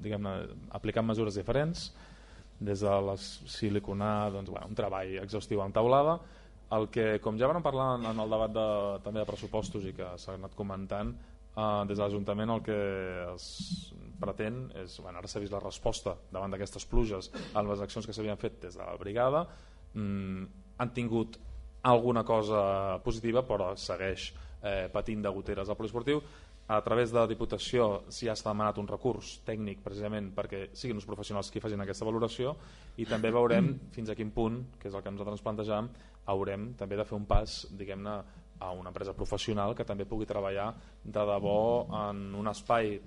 diguem-ne, aplicant mesures diferents, des de la siliconar, doncs, bueno, un treball exhaustiu en taulada. El que, com ja vam parlar en el debat de, també de pressupostos i que s'ha anat comentant, eh, des de l'Ajuntament el que es pretén és, bueno, ara s'ha vist la resposta davant d'aquestes pluges a les accions que s'havien fet des de la brigada, mm, han tingut alguna cosa positiva, però segueix eh, patint de goteres al poliesportiu. A través de la Diputació s'hi ha demanat un recurs tècnic precisament perquè siguin els professionals qui facin aquesta valoració i també veurem fins a quin punt, que és el que nosaltres ens plantejam, haurem també de fer un pas, diguem-ne, a una empresa professional que també pugui treballar de debò en un espai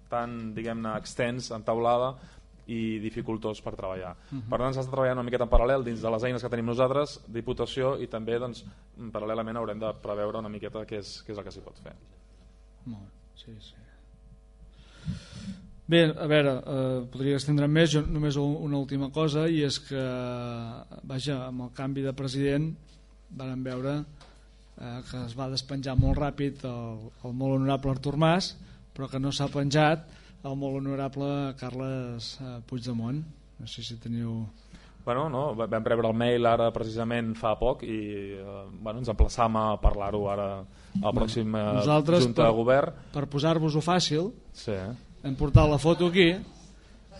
tan, diguem-ne, extens, en taulada, i dificultós per treballar. Uh-huh. Per tant, s'ha de treballar una miqueta en paral·lel dins de les eines que tenim nosaltres, Diputació, i també doncs, paral·lelament haurem de preveure una miqueta què és, què és el que s'hi pot fer. Molt, sí, sí. Bé, a veure, eh, podria estendre més, jo només una última cosa, i és que, vaja, amb el canvi de president vam veure eh, que es va despenjar molt ràpid el, el molt honorable Artur Mas, però que no s'ha penjat el molt honorable Carles eh, Puigdemont. No sé si teniu... Bueno, no, vam rebre el mail ara precisament fa poc i eh, bueno, ens emplaçam a parlar-ho ara a la pròxima Nosaltres, Junta per, de Govern. Per posar-vos-ho fàcil, sí. hem portat la foto aquí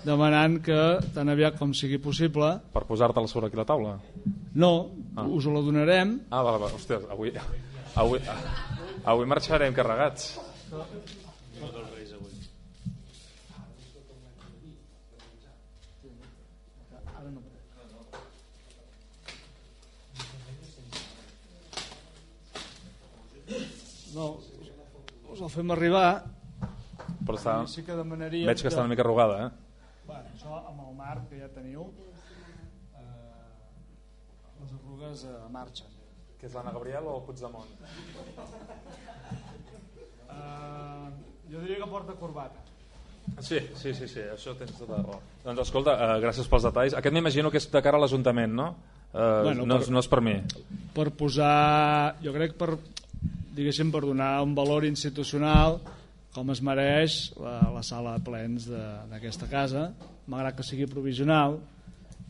demanant que tan aviat com sigui possible... Per posar-te-la sobre aquí la taula? No, ah. us la donarem. Ah, vale, vale. Hòstia, avui, avui, avui marxarem carregats. No, us el fem arribar. Però està... sí que demanaríem veig que està una mica arrugada, eh? Bueno, això amb el marc que ja teniu, eh, les arrugues eh, marxen. Que és l'Anna Gabriel o el Puigdemont? Eh, jo diria que porta corbata. Sí, sí, sí, sí, això tens tota la raó. Doncs escolta, eh, gràcies pels detalls. Aquest m'imagino que és de cara a l'Ajuntament, no? Eh, bueno, no, per, no és per mi. Per posar, jo crec per, diguéssim, per donar un valor institucional com es mereix la, la sala de plens d'aquesta casa, malgrat que sigui provisional,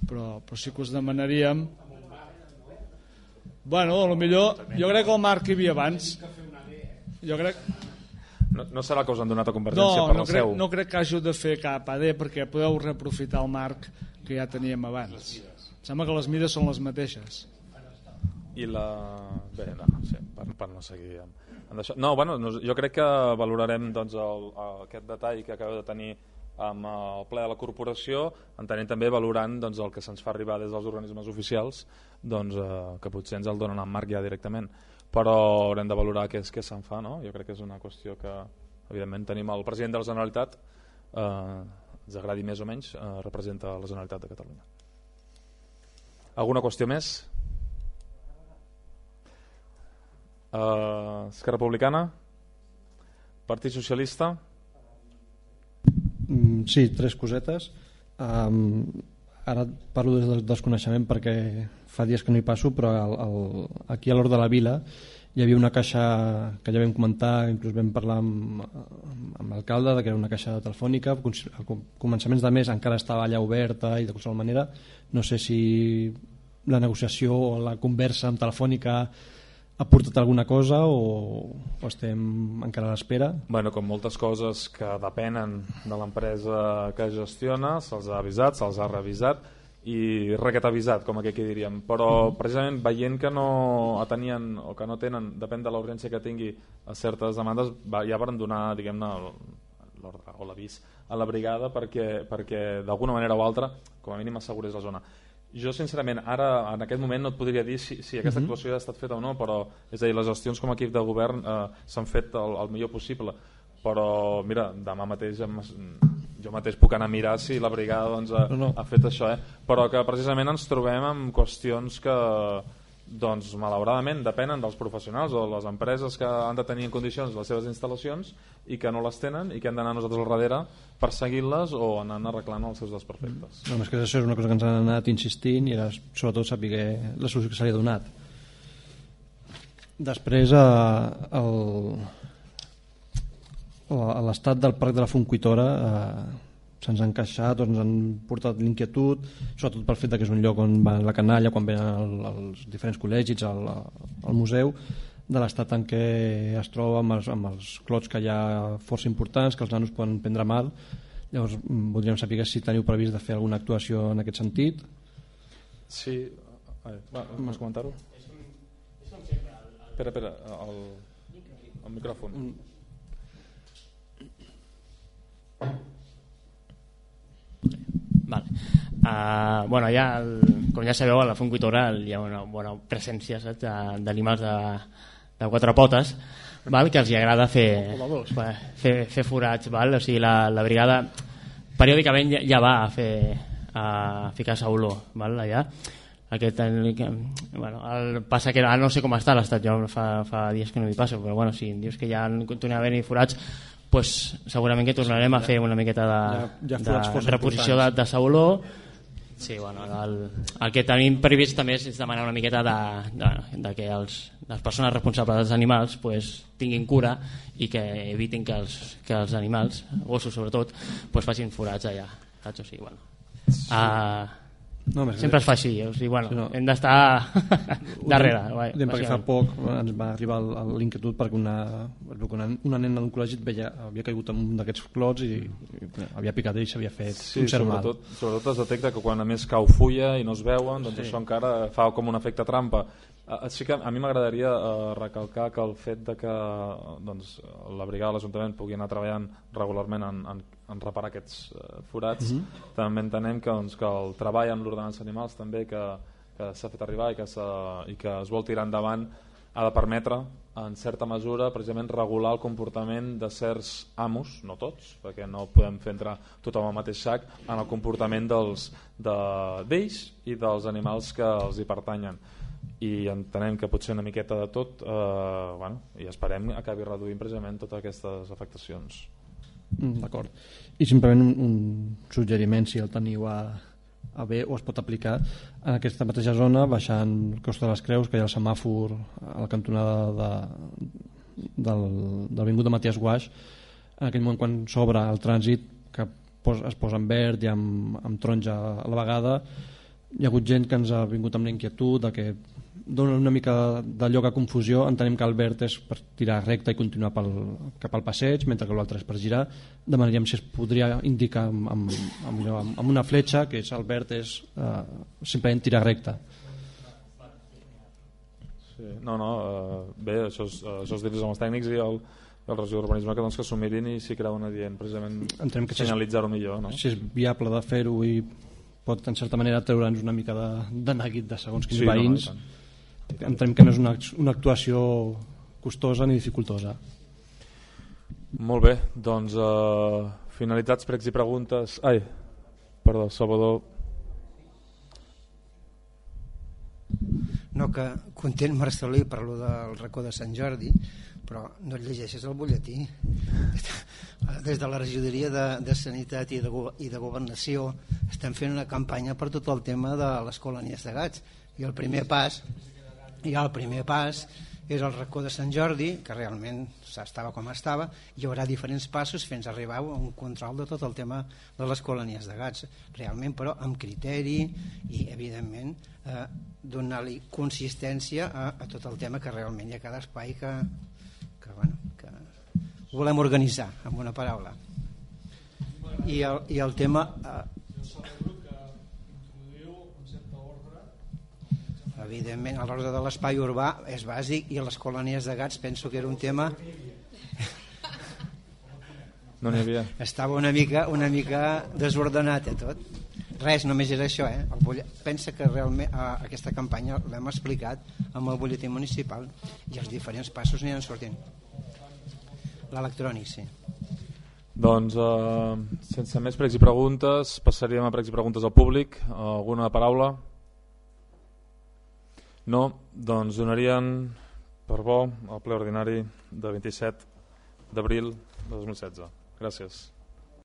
però, però sí que us demanaríem... Bueno, a lo millor, jo crec que el marc que hi havia abans... Jo crec... No, no serà que us han donat a Convergència no, per no la crec, seu? No crec que hàgiu de fer cap A D perquè podeu reaprofitar el marc que ja teníem abans. Sembla que les mides són les mateixes. I la... Bé, no, sí, per, per no seguir amb, amb això. No, bueno, jo crec que valorarem doncs, el, el, aquest detall que acabeu de tenir amb el ple de la corporació, entenent també valorant doncs, el que se'ns fa arribar des dels organismes oficials, doncs, eh, que potser ens el donen en marc ja directament, però haurem de valorar què, és, què se'n fa, no? Jo crec que és una qüestió que evidentment tenim el president de la Generalitat, eh, ens agradi més o menys, eh, representa la Generalitat de Catalunya. Alguna qüestió més? Uh, Esquerra Republicana, Partit Socialista. Mm, sí, tres cosetes. Um, ara parlo des del desconeixement perquè fa dies que no hi passo, però el, el, aquí a l'Hort de la Vila hi havia una caixa que ja vam comentar, inclús vam parlar amb, amb l'alcalde, que era una caixa telefònica, a començaments de mes encara estava allà oberta i de qualsevol manera no sé si la negociació o la conversa amb Telefònica ha portat alguna cosa o, o estem encara a l'espera? Bueno, com moltes coses que depenen de l'empresa que gestiona, se'ls ha avisat, se'ls ha revisat i requet avisat, com aquí diríem, però precisament veient que no atenien o que no tenen, depèn de la urgència que tingui a certes demandes, ja van donar, diguem-ne, l'ordre o l'avís a la brigada perquè, perquè d'alguna manera o altra, com a mínim assegurés la zona. Jo sincerament ara en aquest moment no et podria dir si, si aquesta actuació ha estat feta o no, però és a dir, les gestions com a equip de govern eh, s'han fet el, el millor possible, però mira, demà mateix jo mateix puc anar a mirar si la brigada doncs, ha, no, no. ha fet això, eh? Però que precisament ens trobem amb qüestions que doncs malauradament depenen dels professionals o de les empreses que han de tenir en condicions les seves instal·lacions i que no les tenen i que hem d'anar nosaltres al darrere perseguint-les o anant arreglant els seus desperfectes. No, és que això és una cosa que ens han anat insistint i era sobretot saber la solució que se li ha donat. Després eh, el, l'estat del parc de la Fontcuitora eh, se'ns ha encaixat, ens han portat l'inquietud, sobretot pel fet que és un lloc on va la canalla, quan venen els diferents col·legis, al, al museu, de l'estat en què es troba amb els, amb els clots que hi ha força importants, que els nanos poden prendre mal. Llavors voldríem saber si teniu previst de fer alguna actuació en aquest sentit. Sí, vols comentar-ho? Espera, espera, el, el micròfon. Vale. Uh, bueno, ja el, com ja sabeu, a la Fontcuitora hi ha una bona presència d'animals de, de quatre potes, val? Que els hi agrada fer, fer, fer forats, val? O sigui, la, la brigada periòdicament ja, ja va a fer a ficar sauló, val, allà. Aquest, bueno, el, passa que ara no sé com està l'estat, jo fa, fa dies que no hi passo, però bueno, si dius que ja continua havent-hi forats, pues, segurament que tornarem a fer una miqueta de, ja, ja de reposició de, de sauló. Sí, bueno, el, el que tenim previst també és demanar una miqueta de, de, de que els, les persones responsables dels animals pues, tinguin cura i que evitin que els, que els animals, gossos sobretot, pues, facin forats allà, saps? O sigui, bueno, uh, no, sempre es fa així, o sigui, bueno, sí, no. Hem d'estar darrere. Diem, perquè fa poc ens va arribar l'inquietud perquè una, una, una nena d'un col·legi veia, havia caigut en un d'aquests clots i, i havia picat ell i s'havia fet sí, un cert sobretot, mal. Sobretot es detecta que quan a més cau fulla i no es veuen, doncs sí. Això encara fa com un efecte trampa. Així que a mi m'agradaria uh, recalcar que el fet de que doncs, la brigada de l'Ajuntament pugui anar treballant regularment en, en, en reparar aquests uh, forats, mm-hmm. també entenem que, doncs, que el treball amb l'ordenança animals també que, que s'ha fet arribar i que, i que es vol tirar endavant ha de permetre en certa mesura precisament regular el comportament de certs amos, no tots, perquè no podem fer entrar tothom al mateix sac, en el comportament dels, de, d'ells i dels animals que els hi pertanyen. I entenem que pot ser una miqueta de tot, eh, bueno, i esperem que acabi reduint precisament totes aquestes afectacions. Mm, d'acord. I simplement un, un suggeriment, si el teniu a, a bé o es pot aplicar en aquesta mateixa zona, baixant Costa de les Creus, que hi ha el semàfor a la cantonada de, del, de l'avinguda Matías Guaix, en aquell moment quan s'obre el trànsit, que pos, es posa en verd i amb, amb taronja a la vegada, hi ha hagut gent que ens ha vingut amb l'inquietud de que dona una mica de lloc a confusió. Entenem que el verd és per tirar recte i continuar pel, cap al passeig, mentre que l'altre és per girar. Demanaríem si es podria indicar amb, amb, amb, amb una fletxa que és el verd és eh, simplement tirar recte. Sí, no, no, eh, bé, això és, això és dir amb els tècnics i el, el regidor d'urbanisme que, doncs, que s'ho mirin i si creuen adient precisament senyalitzar-ho millor, no? Si és viable de fer-ho i pot en certa manera treure'ns una mica de, de neguit de segons quins sí, veïns, no, entenem que no és una, una actuació costosa ni dificultosa. Molt bé, doncs eh, finalitzats pregs i preguntes. Ai, perdó, Salvador. No, que content Marcelí per lo del racó de Sant Jordi, però no et llegeixes el butlletí. Des de la regidoria de, de Sanitat i de, i de Governació estem fent una campanya per tot el tema de les colònies de gats, i el primer pas i el primer pas és el racó de Sant Jordi, que realment estava com estava. Hi haurà diferents passos fins a arribar a un control de tot el tema de les colònies de gats, realment, però amb criteri i evidentment eh, donar-li consistència a, a tot el tema, que realment hi ha cada espai que, que, bueno, que volem organitzar, amb una paraula. I el, i el tema eh, evidentment l'ordre de l'espai urbà és bàsic, i les colònies de gats penso que era un tema no n'hi havia, estava una mica, una mica desordenat, eh, tot. Res, només era això, eh? El bull... pensa que realment eh, aquesta campanya l'hem explicat amb el butlletí municipal i els diferents passos aniran sortint. L'electrònic, sí. Doncs eh, sense més pregs i preguntes passaríem a pregs i preguntes al públic. Alguna paraula? No, doncs donarien per bo el ple ordinari de vint-i-set d'abril de dos mil setze. Gràcies.